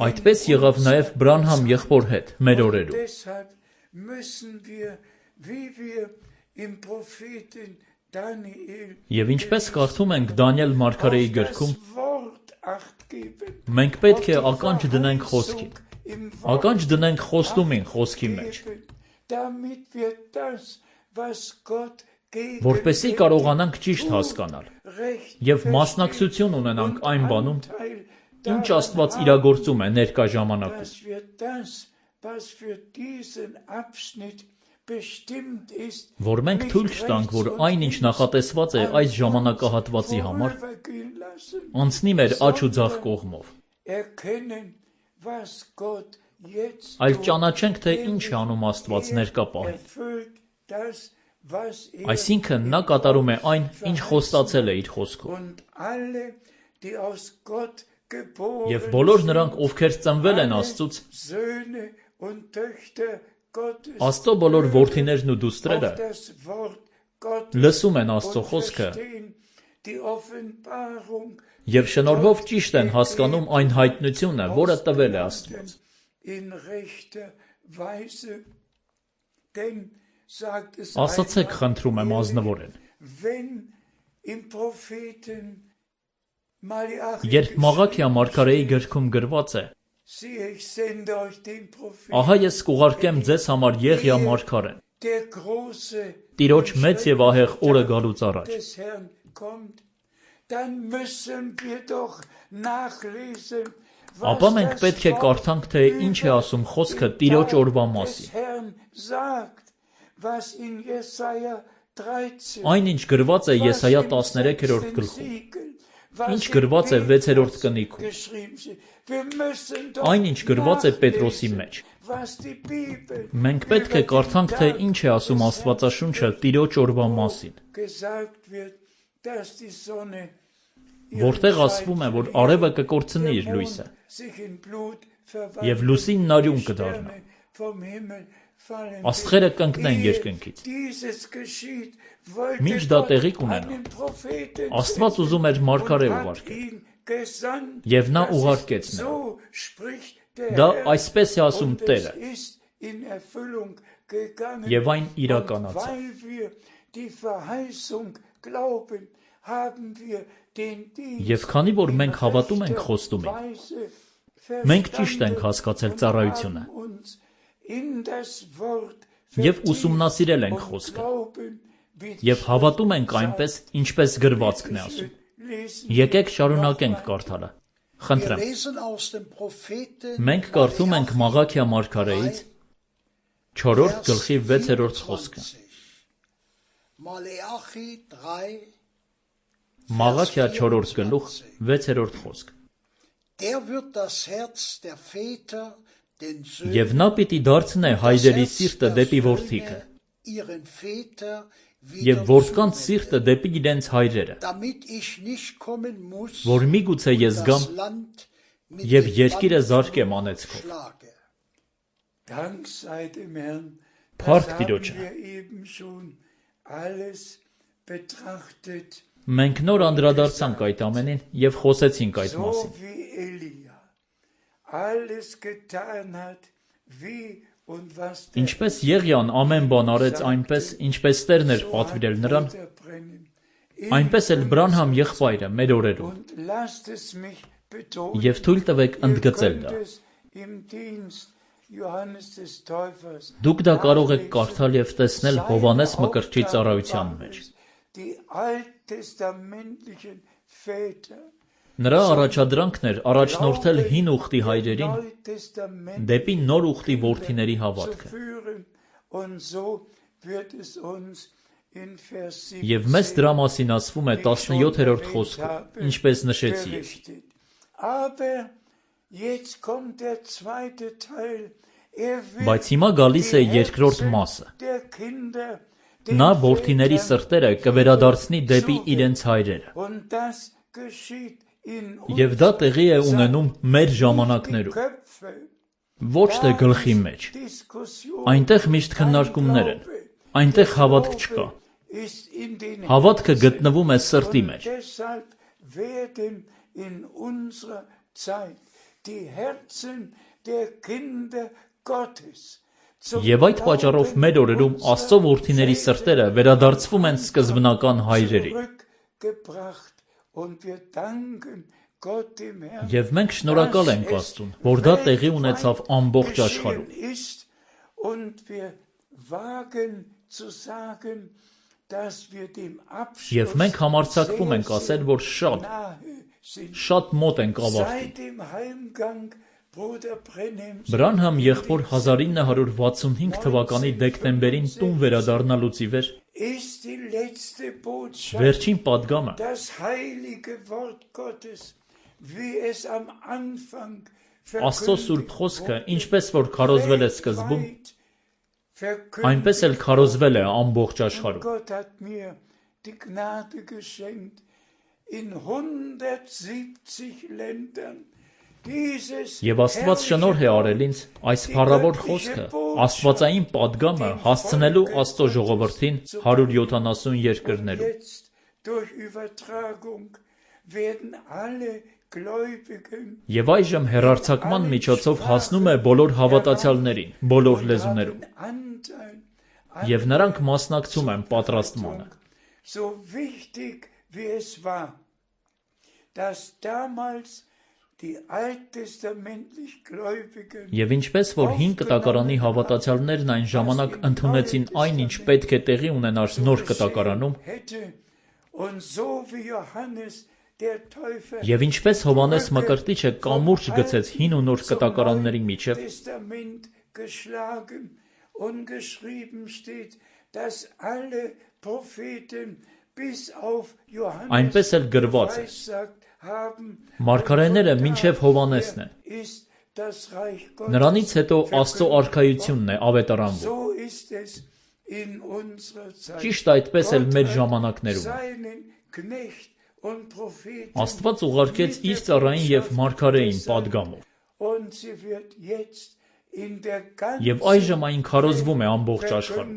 Speaker 1: այդպես եղավ նաև Բրանհամ եղբոր հետ մեր օրերում։ Եվ ինչպես կարդում ենք Դանիել մարգարեի գրքում, մենք պետք է ականջ դնենք խոսքին, ականջ դնենք խոստումին խոսքի մեջ, որպեսզի կարողանանք ճիշտ հասկանալ և մասնակցություն ունենանք այն բանում, ինչ Աստված իրագործում է ներկա ժամանակում։ Որ մենք թույլ չտանք, որ այն, ինչ նախատեսված է այս ժամանակահատվածի համար, անցնի մեր աջ ու ձախ կողմով, այլ ճանաչենք, թե ինչ է անում Աստված ներկա պահին։ Այսինքն նա կատարում է այն, ինչ խոստացել է իր խոսքով։ Եվ բոլոր նրանք, ովքեր ծնվել են Աստծուց, Աստծո բոլոր որդիներն ու դուստրերը լսում են Աստծո խոսքը և շնորհով ճիշտ են հասկանում այն հայտնությունը, որը տվել է Աստված։ Ասացեք, խնդրում եմ ազնվորեն, երբ Մաղաքիա մարգարեի գրքում գրված է. «Ահա ես կուղարկեմ ձեզ համար Եղիա մարգարեն, Տիրոջ մեծ և ահեղ օրը գալուց առաջ», ապա մենք պետք է կարդանք, թե ինչ է ասում խոսքը Տիրոջ օրվա մասին։ Այն, ինչ գրված է Եսայիա տասներեքերորդ գլխում, ինչ գրված է վեցերորդ կնիքում, այն, ինչ գրված է Պետրոսի մեջ։ Մենք պետք է կարդանք, թե ինչ է ասում Աստվածաշունչը Տիրոջ օրվա մասին, որտեղ ասվում է, որ արևը կկորցնի իր լույսը, և լուսինն արյուն կդառնա, աստղերը կընկնեն երկնքից։ Մինչ դա տեղի կունենա, Աստված ուզում էր մարգարե ուղարկել, և նա ուղարկեց նրան։ Դա այսպես է ասում Տերը, և այն իրականացավ։ Եվ քանի որ մենք հավատում ենք խոստումին, մենք ճիշտ ենք հասկացել ծառայությունը և ուսումնասիրել ենք խոսքը և հավատում ենք այնպես, ինչպես գրվածքն է ասում։ Եկեք շարունակենք կարդալը։ Խնդրեմ։ Մենք կարդում ենք Մաղաքիա մարգարեից չորրորդ գլխի վեցերորդ խոսքը։ Մաղաքիա չորրորդ գլուխ վեցերորդ խոսք։ Եվ նա պիտի դարձնե հայրերի սիրտը դեպի որդիքը, և որդկանց սիրտը դեպի իրենց հայրերը, որ միգուցե ես գամ և երկիրը զարկեմ անեծքով։ Փառք Տիրոջը։ Մենք նոր անդրադարձանք այդ ամենին և խոսեցինք այդ մասին։ Ինչպես Եղիան ամեն բան արեց այնպես, ինչպես Տերն էր պատվիրել նրան, այնպես էլ Բրանհամ եղբայրը մեր օրերում։ Եվ թույլ տվեք ընդգծել դա։ Դուք դա կարող եք կարդալ և տեսնել Հովհաննես Մկրտչի ծառայության մեջ։ Նրա առաջադրանքն էր առաջնորդել հին ուխտի հայրերին դեպի նոր ուխտի որդիների հավատքը։ Եվ մեզ դրա մասին ասվում է տասնյոթերորդ խոսքում, ինչպես նշեցի ես։ Բայց հիմա գալիս է երկրորդ մասը։ Նա որդիների սրտերը կվերադարձնի դեպի իրենց հայրերը։ Եվ դա տեղի է ունենում մեր ժամանակներում։ Ոչ թե գլխի մեջ։ Այնտեղ միշտ քննարկումներ են։ Այնտեղ հավատք չկա։ Հավատքը գտնվում է սրտի մեջ։ Եվ այդ պատճառով մեր օրերում Աստծո որդիների սրտերը վերադարձվում են սկզբնական հայրերին։ Եվ մենք շնորհակալ ենք Աստծուն, որ դա տեղի ունեցավ ամբողջ աշխարհում։ Եվ մենք համարձակվում ենք ասել, որ շատ, շատ մոտ ենք ավարտին։ Բրանհամ եղբոր հազար ինը հարյուր վաթսունհինգ թվականի դեկտեմբերին տուն վերադառնալուց ի վեր վերջին պատգամը Աստծո սուրբ խոսքը, ինչպես որ քարոզվել է սկզբում, այնպես էլ քարոզվել է ամբողջ աշխարհում։ Եվ Աստված շնորհ է արել ինձ այս փառավոր խոսքը, աստվածային պատգամը հասցնելու Աստծո ժողովրդին հարյուր յոթանասուն երկրներում։ Եվ այժմ հեռարձակման միջոցով հասնում է բոլոր հավատացյալներին, բոլոր լեզուներում։ Եվ նրանք մասնակցում են պատրաստմանը։ Եվ ինչպես որ հին կտակարանի հավատացյալներն այն ժամանակ ընդունեցին այն, ինչ պետք է տեղի ունենար նոր կտակարանում, և ինչպես Հովհաննես Մկրտիչը կամուրջ գցեց հին ու նոր կտակարանների միջև, այնպես էլ գրված է. Մարգարեները մինչև Հովհաննեսն են։ Նրանից հետո Աստծո արքայությունն է ավետարանվում։ Ճիշտ այդպես էլ մեր ժամանակներում է։ Աստված ուղարկեց իր ծառային և մարգարեին պատգամով։ Եվ այժմ այն քարոզվում է ամբողջ աշխարհում։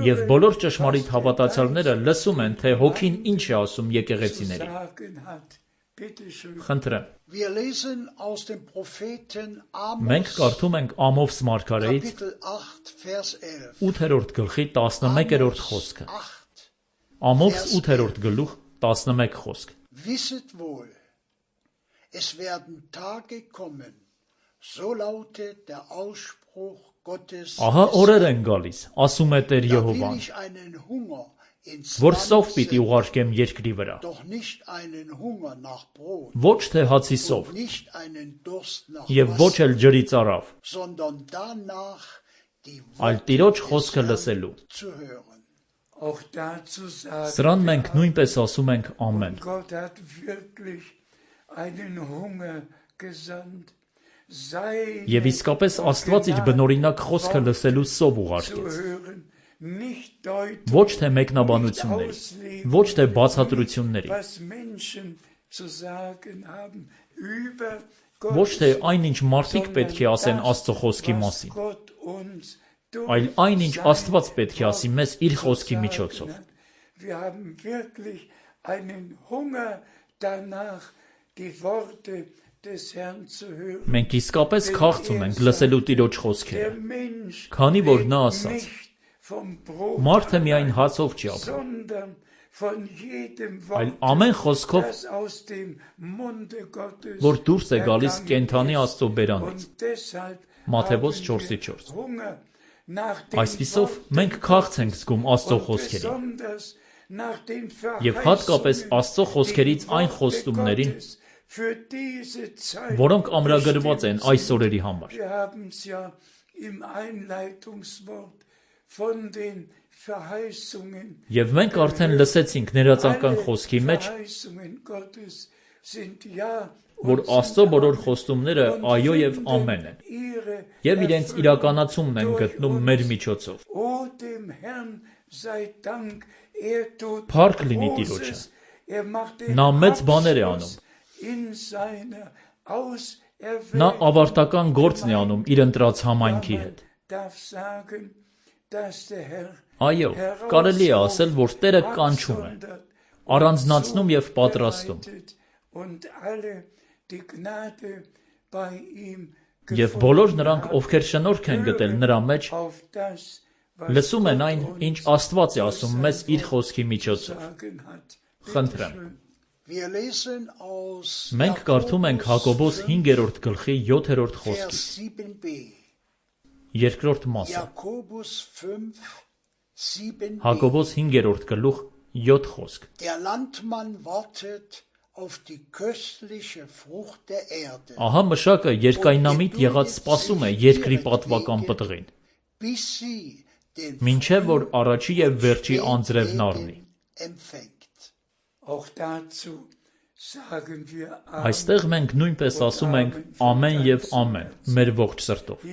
Speaker 1: Եվ բոլոր ճշմարիտ հավատացյալները լսում են, թե Հոգին ինչ է ասում եկեղեցիներին։ Խնդրեմ։ Մենք կարդում ենք Ամովս մարգարեից ութերորդ գլխի տասնմեկերորդ խոսքը։ Ամովս ութերորդ գլուխ տասնմեկ խոսք։ Ահա օրեր են գալիս, ասում է Տեր Եհովան, որ սով պիտի ուղարկեմ երկրի վրա, ոչ թե հացի սով, և ոչ էլ ջրի ծարավ, այլ Տիրոջ խոսքը լսելու։ Սրան մենք նույնպես ասում ենք ամեն։ Եվ իսկապես Աստված իր բնօրինակ խոսքը լսելու սով ուղարկեց։ Ոչ թե մեկնաբանությունների, ոչ թե բացատրությունների, Ոչ թե այնինչ մարդիկ պետք է ասեն Աստծո խոսքի մասին, այլ այնինչ Աստված պետք է ասի մեզ իր խոսքի միջոցով։ Մենք իսկապես քաղց ունենք լսելու Տիրոջ խոսքերը, քանի որ նա ասաց. «Մարդը միայն հացով չի ապրում, այլ ամեն խոսքով, որ դուրս է գալիս կենդանի Աստծո բերանից»։ Մատթեոս չորսի չորս։ Այսպիսով մենք քաղց ենք զգում Աստծո խոսքերին, եւ հատկապես Աստծո խոսքերից այն խոստումներին, որոնք ամրագրված են այս օրերի համար։ Եվ մենք արդեն լսեցինք ներածական խոսքի մեջ, որ Աստծո բոլոր խոստումները այո եւ ամեն են, եւ իրենց իրականացումն են գտնում մեր միջոցով։ Փառք լինի Տիրոջը։ Նա մեծ բաներ է անում։ Նա ավարտական գործն է անում իր ընտրած համայնքի հետ։ Այո, կարելի է ասել, որ Տերը կանչում է, առանձնացնում եւ պատրաստում։ Եվ բոլոր նրանք, ովքեր շնորհք են գտել նրա մեջ, լսում են այն, ինչ Աստված է ասում մեզ իր խոսքի միջոցով։ Խնդրեմ։ Մենք կարդում ենք Հակոբոս հինգերորդ գլխի յոթերորդ խոսքից։ Երկրորդ մասը։ Հակոբոս հինգերորդ գլուխ յոթ խոսք։ Ահա մշակը երկայնամիտ եղած սպասում է երկրի պատվական պտղին, մինչև որ առաջի եւ վերջի անձրևն առնի։ Այստեղ մենք նույնպես ասում ենք ամեն եւ ամեն մեր ողջ սրտով։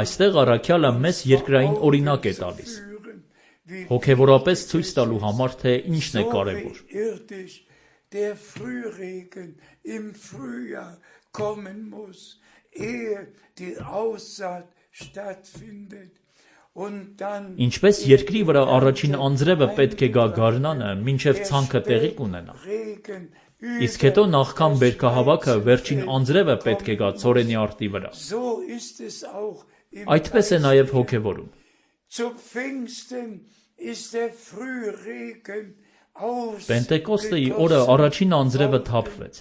Speaker 1: Այստեղ առաքյալը մեզ երկրային օրինակ է տալիս, հոգևորապես ցույց տալու համար, թե ինչն է կարևոր։ Ինչպես երկրի վրա առաջին անձրևը պետք է գա գարնանը, մինչև ցանքը տեղի կունենա, իսկ հետո նախքան բերքահավաքը վերջին անձրևը պետք է գա ցորենի արտի վրա։ Այդպես է նաև հոգևորում։ Պենտեկոստեի օրը առաջին անձրևը թափվեց։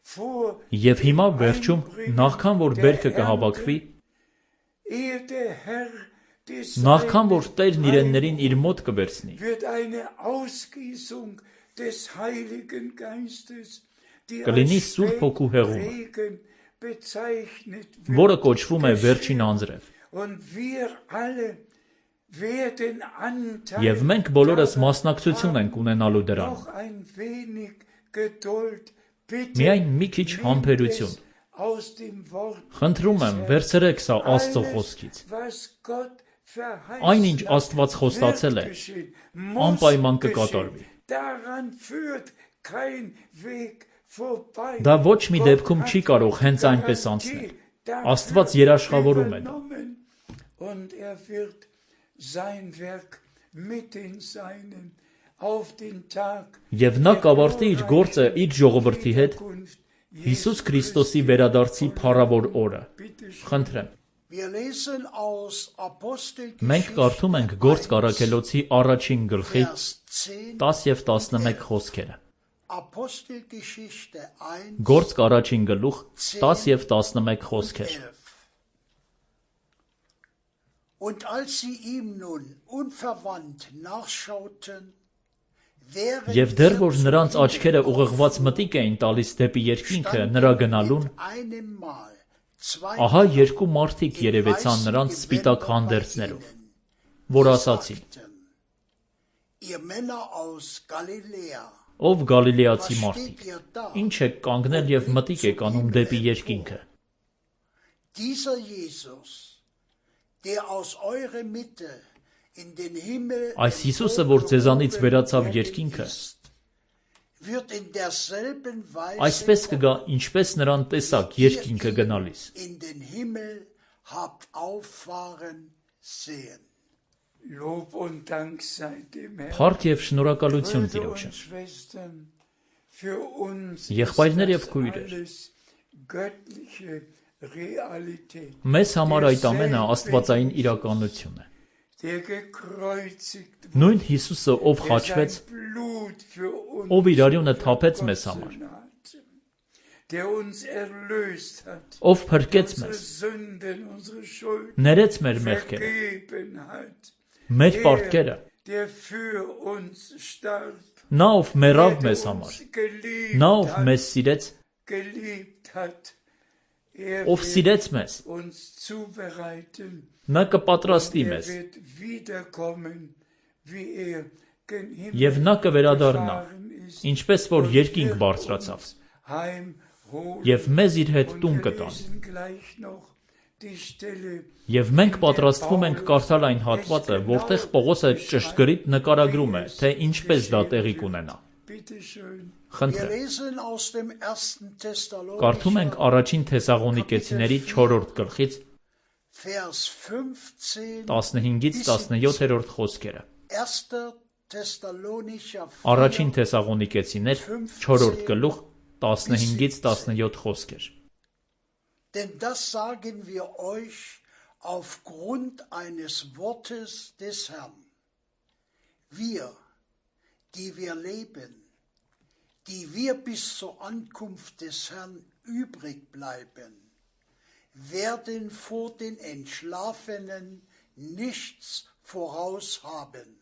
Speaker 1: Եվ հիմա վերջում, նախքան որ բերքը կհավաքվի, նախքան որ Տերն իրեններին իր մոտ կվերցնի, կլինի Սուրբ Հոգու հեղումը, որը կոչվում է վերջին անձրև։ Եվ մենք բոլորս մասնակցություն ենք ունենալու դրանում։ Միայն մի քիչ համբերություն։ Խնդրում եմ, վերցրեք սա Աստծո խոսքից։ Այնինչ Աստված խոստացել է, անպայման կկատարվի։ Դա ոչ մի դեպքում չի կարող հենց այնպես անցնել։ Աստված երաշխավորում է դա։ Եվ նա կավարտի իր գործը իր ժողովրդի հետ Հիսուս Քրիստոսի վերադարձի փառավոր օրը։ Խնդրեմ։ Մենք կարդում ենք Գործք առաքելոցի առաջին գլխի տաս և տասնմեկ խոսքերը։ Գործք առաջին գլուխ տաս և տասնմեկ խոսքեր։
Speaker 3: Und als sie ihm nun unverwandt nachschauten,
Speaker 1: Եվ դեռ որ նրանց աչքերը ուղղված մտիկ էին տալիս դեպի երկինքը նրա գնալուն, ահա երկու մարդիկ երևեցան նրանց սպիտակ հանդերձներով, որ ասացին. Ով գալիլեացի մարդիկ, ինչ եք կանգնել և մտիկ եք անում դեպի երկինքը։
Speaker 3: in den Himmel
Speaker 1: Այս Հիսուսը, որ ձեզանից վերացավ երկինքը,
Speaker 3: ist, wird in derselben Weise
Speaker 1: այսպես կգա, ինչպես նրան տեսակ երկինքը գնալիս։
Speaker 3: in den Himmel habt auffahren sehen.
Speaker 2: Lob und Dank sei dem Herrn.
Speaker 1: Փառք եւ շնորհակալություն
Speaker 2: Brüder
Speaker 1: Տիրոջը։
Speaker 2: und Schwestern, für uns
Speaker 1: Եղբայրներ
Speaker 2: ist
Speaker 1: եւ
Speaker 2: das
Speaker 1: քույրեր,
Speaker 2: alles göttliche Realität.
Speaker 1: Մեզ համար այդ ամենը աստվածային իրականություն է։
Speaker 2: Der gekreuzigt
Speaker 1: Նույն Հիսուսը, ով
Speaker 2: der
Speaker 1: խաչվեց,
Speaker 2: sein Blut für uns
Speaker 1: ով իր արյունը թափեց մեզ համար,
Speaker 2: vergossen hat, der uns erlöst hat,
Speaker 1: ով փրկեց
Speaker 2: unsere
Speaker 1: մեզ,
Speaker 2: Sünden, unsere Schuld
Speaker 1: ներեց մեր մեղքերը,
Speaker 2: vergeben hat,
Speaker 1: մեր
Speaker 2: der,
Speaker 1: պարտքերը,
Speaker 2: der für uns starb,
Speaker 1: նա ով մեռավ
Speaker 2: der
Speaker 1: մեզ
Speaker 2: uns
Speaker 1: համար,
Speaker 2: geliebt
Speaker 1: նա ով
Speaker 2: hat,
Speaker 1: մեզ սիրեց,
Speaker 2: geliebt hat, er
Speaker 1: ով
Speaker 2: wird
Speaker 1: սիրեց մեզ,
Speaker 2: uns zubereiten.
Speaker 1: նա կպատրաստի
Speaker 2: Er
Speaker 1: մեզ,
Speaker 2: wird wiederkommen, wie er gen Himmel
Speaker 1: եւ նա կվերադառնա,
Speaker 2: gefahren ist,
Speaker 1: ինչպես որ
Speaker 2: und
Speaker 1: երկինք
Speaker 2: wird
Speaker 1: բարձրացավ,
Speaker 2: uns heimholen.
Speaker 1: եւ մեզ իր հետ
Speaker 2: Und
Speaker 1: տուն
Speaker 2: wir
Speaker 1: կտան։
Speaker 2: lesen gleich noch die Stelle,
Speaker 1: Եվ մենք պատրաստվում ենք կարդալ այն հատվածը, որտեղ Պողոսը ճշգրիտ նկարագրում է, թե ինչպես դա տեղի կունենա։
Speaker 2: bitte schön,
Speaker 3: Wir
Speaker 1: Խնդրեմ,
Speaker 3: lesen aus dem ersten
Speaker 1: կարդում ենք
Speaker 3: Thessalonicher
Speaker 1: առաջին Թեսաղոնիկեցիների չորրորդ գլխից
Speaker 3: Vers fünfzehn,
Speaker 1: տասնհինգից տասնյոթերորդ խոսքերը։
Speaker 3: erster Thessalonicher
Speaker 1: Առաջին
Speaker 3: vier,
Speaker 1: Թեսաղոնիկեցիներ չորրորդ գլուխ տասնհինգից տասնյոթ խոսքեր։
Speaker 3: denn das sagen wir euch aufgrund eines Wortes des Herrn. Wir, die wir leben, die wir bis zur Ankunft des Herrn übrig bleiben, werden vor den Entschlafenen nichts voraus haben.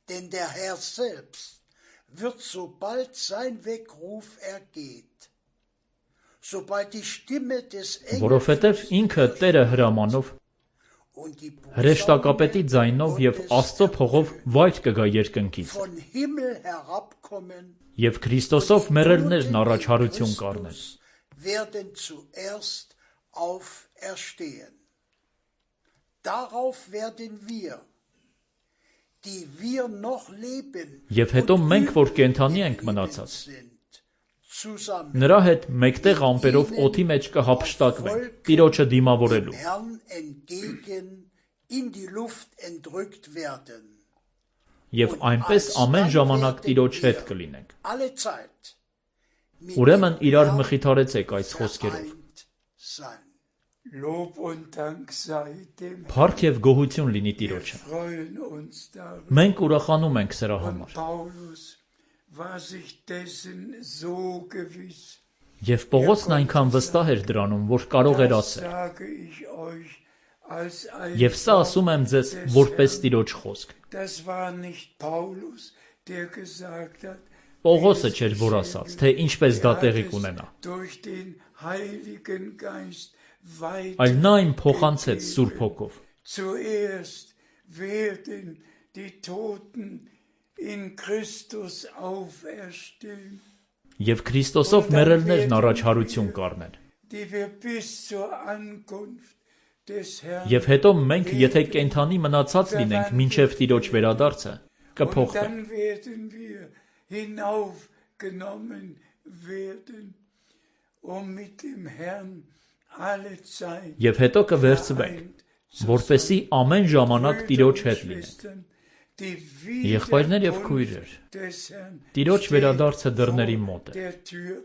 Speaker 3: Denn der Herr selbst wird, sobald sein Weckruf ergeht, sobald die Stimme des
Speaker 1: Որովհետև ինքը Տերը հրամանով,
Speaker 3: und die
Speaker 1: հրեշտակապետի ձայնով եւ
Speaker 3: Gottes
Speaker 1: Աստծո փողով վայր կգա երկնքից,
Speaker 3: von Himmel herabkommen,
Speaker 1: եւ Քրիստոսով մեռելներն առաջարություն կառնեն։
Speaker 3: werden zuerst auferstehen. Darauf werden wir, die wir noch leben
Speaker 1: Եվ հետո
Speaker 3: und
Speaker 1: մենք, որ
Speaker 3: übrig
Speaker 1: կենդանի ենք
Speaker 3: geblieben
Speaker 1: մնացած,
Speaker 3: sind, zusammen
Speaker 1: նրա հետ մեկտեղ ամպերով օդի մեջ կհափշտակվենք, Տիրոջը դիմավորելու,
Speaker 3: dem Herrn entgegen in die Luft entrückt werden.
Speaker 1: եւ այնպես ամեն ժամանակ Տիրոջ հետ կլինենք։
Speaker 3: Alle Zeit mit
Speaker 1: Ուրեմն
Speaker 3: dem
Speaker 1: իրար
Speaker 3: Herrn
Speaker 1: մխիթարեցեք այս խոսքերով։
Speaker 3: vereint sein.
Speaker 2: Lob und Dank sei dem Herrn.
Speaker 1: Փառք եւ գոհություն լինի
Speaker 2: Wir
Speaker 1: Տիրոջը։
Speaker 2: freuen uns darüber.
Speaker 1: Մենք ուրախանում ենք սրա
Speaker 2: Und
Speaker 1: համար։
Speaker 2: Paulus war sich dessen so gewiss.
Speaker 1: Եվ Պողոսն այնքան վստահ էր դրանում, որ կարող էր
Speaker 2: Das
Speaker 1: ասել.
Speaker 2: sage ich euch als ein
Speaker 1: Եվ սա ասում եմ ձեզ
Speaker 2: des
Speaker 1: որպես
Speaker 2: Herrn.
Speaker 1: Տիրոջ խոսք։
Speaker 2: Das war nicht Paulus, der gesagt hat,
Speaker 1: Պողոսը չէր, որ ասաց, թե ինչպես դա
Speaker 2: er
Speaker 1: տեղի
Speaker 2: hat es
Speaker 1: կունենա,
Speaker 2: durch den Heiligen Geist weit
Speaker 1: այլ նա այն փոխանցեց Սուրբ Հոգով։
Speaker 2: Zuerst werden die Toten in Christus auferstehen,
Speaker 1: Եվ Քրիստոսով մեռելներն առաջարություն կառնեն։
Speaker 2: die wir bis zur Ankunft des Herrn
Speaker 1: Եվ հետո մենք, եթե կենթանի մնացած լինենք մինչև Տիրոջ վերադարձը,
Speaker 2: und
Speaker 1: կփոխվենք։
Speaker 2: dann werden wir hinaufgenommen werden, um mit dem Herrn alle Zeit
Speaker 1: Եվ հետո կվերցվենք,
Speaker 2: vereint
Speaker 1: որպեսզի ամեն ժամանակ Տիրոջ հետ լինենք։
Speaker 2: Schwestern, die
Speaker 1: Եղբայրներ եւ
Speaker 2: Wiederkunft
Speaker 1: քույրեր,
Speaker 2: des Herrn
Speaker 1: Տիրոջ
Speaker 2: steht
Speaker 1: վերադարձը դռների
Speaker 2: vor
Speaker 1: մոտ է։
Speaker 2: der Tür.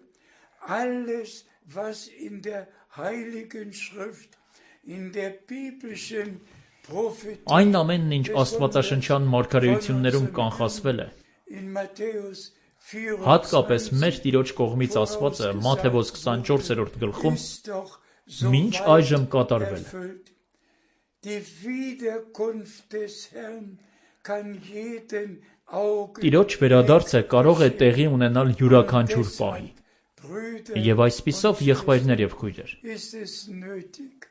Speaker 2: Alles, was in der Heiligen Schrift, in der biblischen Prophetie,
Speaker 1: Այն ամենն, ինչ Աստվածաշնչյան մարգարեություններում կանխասվել է,
Speaker 2: in Matthäus
Speaker 1: հատկապես
Speaker 2: vierundzwanzig,
Speaker 1: մեր Տիրոջ կողմից ասվածը Մատթեոս քսանչորսերորդ գլխում
Speaker 2: ist doch
Speaker 1: մինչ
Speaker 2: soweit
Speaker 1: այժմ կատարվել է։
Speaker 2: erfüllt. Die Wiederkunft des Herrn kann jeden Augen
Speaker 1: Տիրոջ վերադարձը կարող է տեղի ունենալ յուրաքանչյուր պահի։
Speaker 2: Brüder,
Speaker 1: Եվ այսպիսով եղբայրներ եւ քույրեր,
Speaker 2: ist es nötig,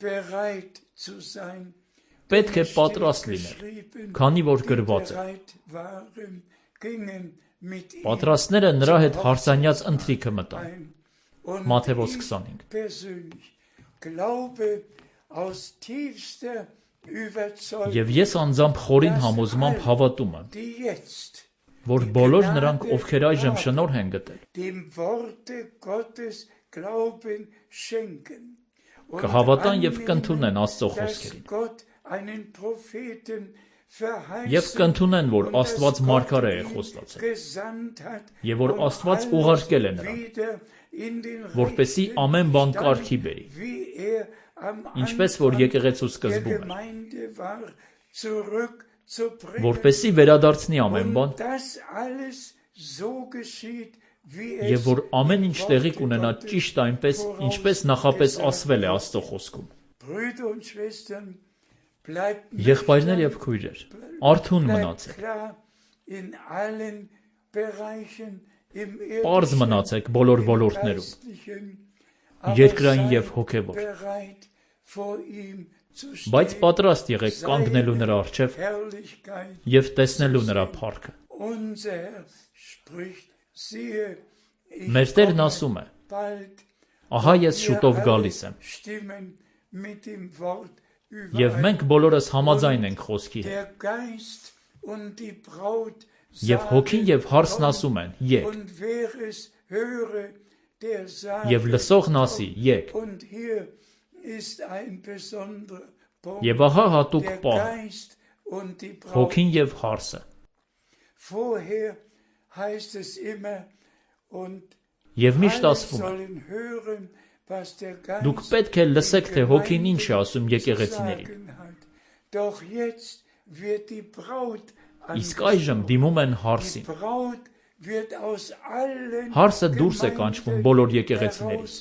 Speaker 2: bereit zu sein,
Speaker 1: պետք է պատրաստ լինել, քանի որ գրված է.
Speaker 2: bereit waren, gingen mit ihm
Speaker 1: Պատրաստները նրա հետ հարսանյաց ընթրիքը մտան։
Speaker 2: ein und
Speaker 1: Մատթեոս
Speaker 2: ihm
Speaker 1: քսանհինգ։
Speaker 2: persönlich Glaube aus tiefster überzeugt,
Speaker 1: Եվ ես անձամբ խորին համոզմամբ հավատում եմ,
Speaker 2: die jetzt
Speaker 1: որ բոլոր նրանք, ովքեր այժմ շնորհ են գտել,
Speaker 2: dem Worte Gottes Glauben schenken und
Speaker 1: կհավատան և կընդունեն
Speaker 2: annehmen,
Speaker 1: Աստծո
Speaker 2: dass
Speaker 1: խոսքերին,
Speaker 2: Gott einen Propheten
Speaker 1: և կընդունեն, որ Աստված մարգարե է խոստացել, և որ Աստված ուղարկել է նրան, որպեսզի ամեն բան կարգի բերի, ինչպես որ եկեղեցու սկզբում էր, որպեսզի վերադարձնի ամեն բան, և որ ամեն ինչ տեղի կունենա ճիշտ այնպես, ինչպես նախապես ասվել է Աստծո խոսքում։ Եղբայրներ և քույրեր, արթուն մնացեք, պարզ մնացեք բոլոր ոլորտներում, երկրային և հոգևոր, բայց պատրաստ եղեք կանգնելու նրա առջև և տեսնելու նրա փառքը։ Մեր Տերն ասում է. «Ահա ես շուտով գալիս եմ»։ Եվ մենք բոլորս համաձայն ենք խոսքի հետ։ Եվ հոգին և հարսն ասում են. «Եկ»։ Եվ լսողն ասի. «Եկ»։ Եվ ահա հատուկ պահը, հոգին և հարսը։ Եվ միշտ ասվում է. դուք պետք է լսեք, թե հոգին ինչ է ասում եկեղեցիներին։ Իսկ այժմ դիմում են հարսին։ Հարսը դուրս է կանչվում բոլոր եկեղեցիներից։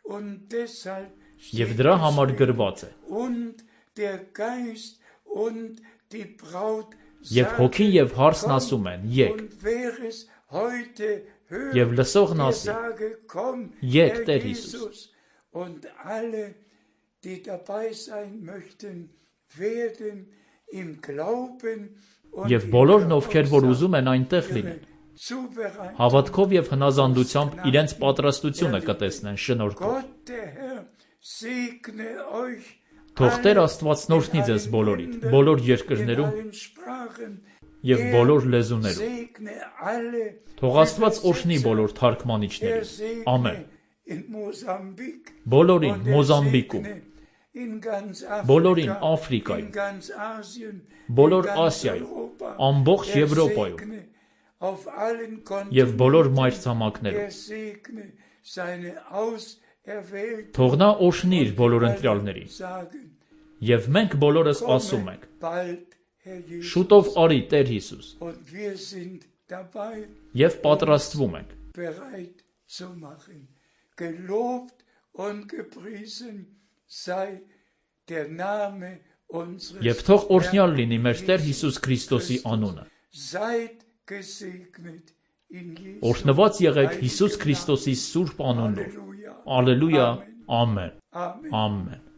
Speaker 1: Եվ դրա համար գրված է. «Եվ հոգին և հարսն ասում են. Եկ»։ Եվ լսողն ասի. «Եկ, Տեր Հիսուս»։ Եվ բոլորն, ովքեր որ ուզում են այնտեղ լինեն, հավատքով և հնազանդությամբ իրենց պատրաստությունը կտեսնեն շնորհքով։ Թող Տեր Աստված օրհնի ձեզ բոլորիդ, բոլոր երկրներում և բոլոր լեզուներում։ Թող Աստված օրհնի բոլոր թարգմանիչներին։ Ամեն։ Բոլորին Մոզամբիկում, բոլորին Աֆրիկայում, բոլոր Ասիայում, ամբողջ Եվրոպայում և բոլոր մայրցամաքներում։ Թող նա օրհնի իր բոլոր ընտրյալներին։ Եվ մենք բոլորս ասում ենք. շուտով արի, Տեր Հիսուս։ Եվ պատրաստվում ենք։ Եվ թող օրհնյալ լինի մեր Տեր Հիսուս Քրիստոսի անունը։ Օրհնված եղեք Հիսուս Քրիստոսի սուրբ անունով։ Ալելույա, ամեն, ամեն։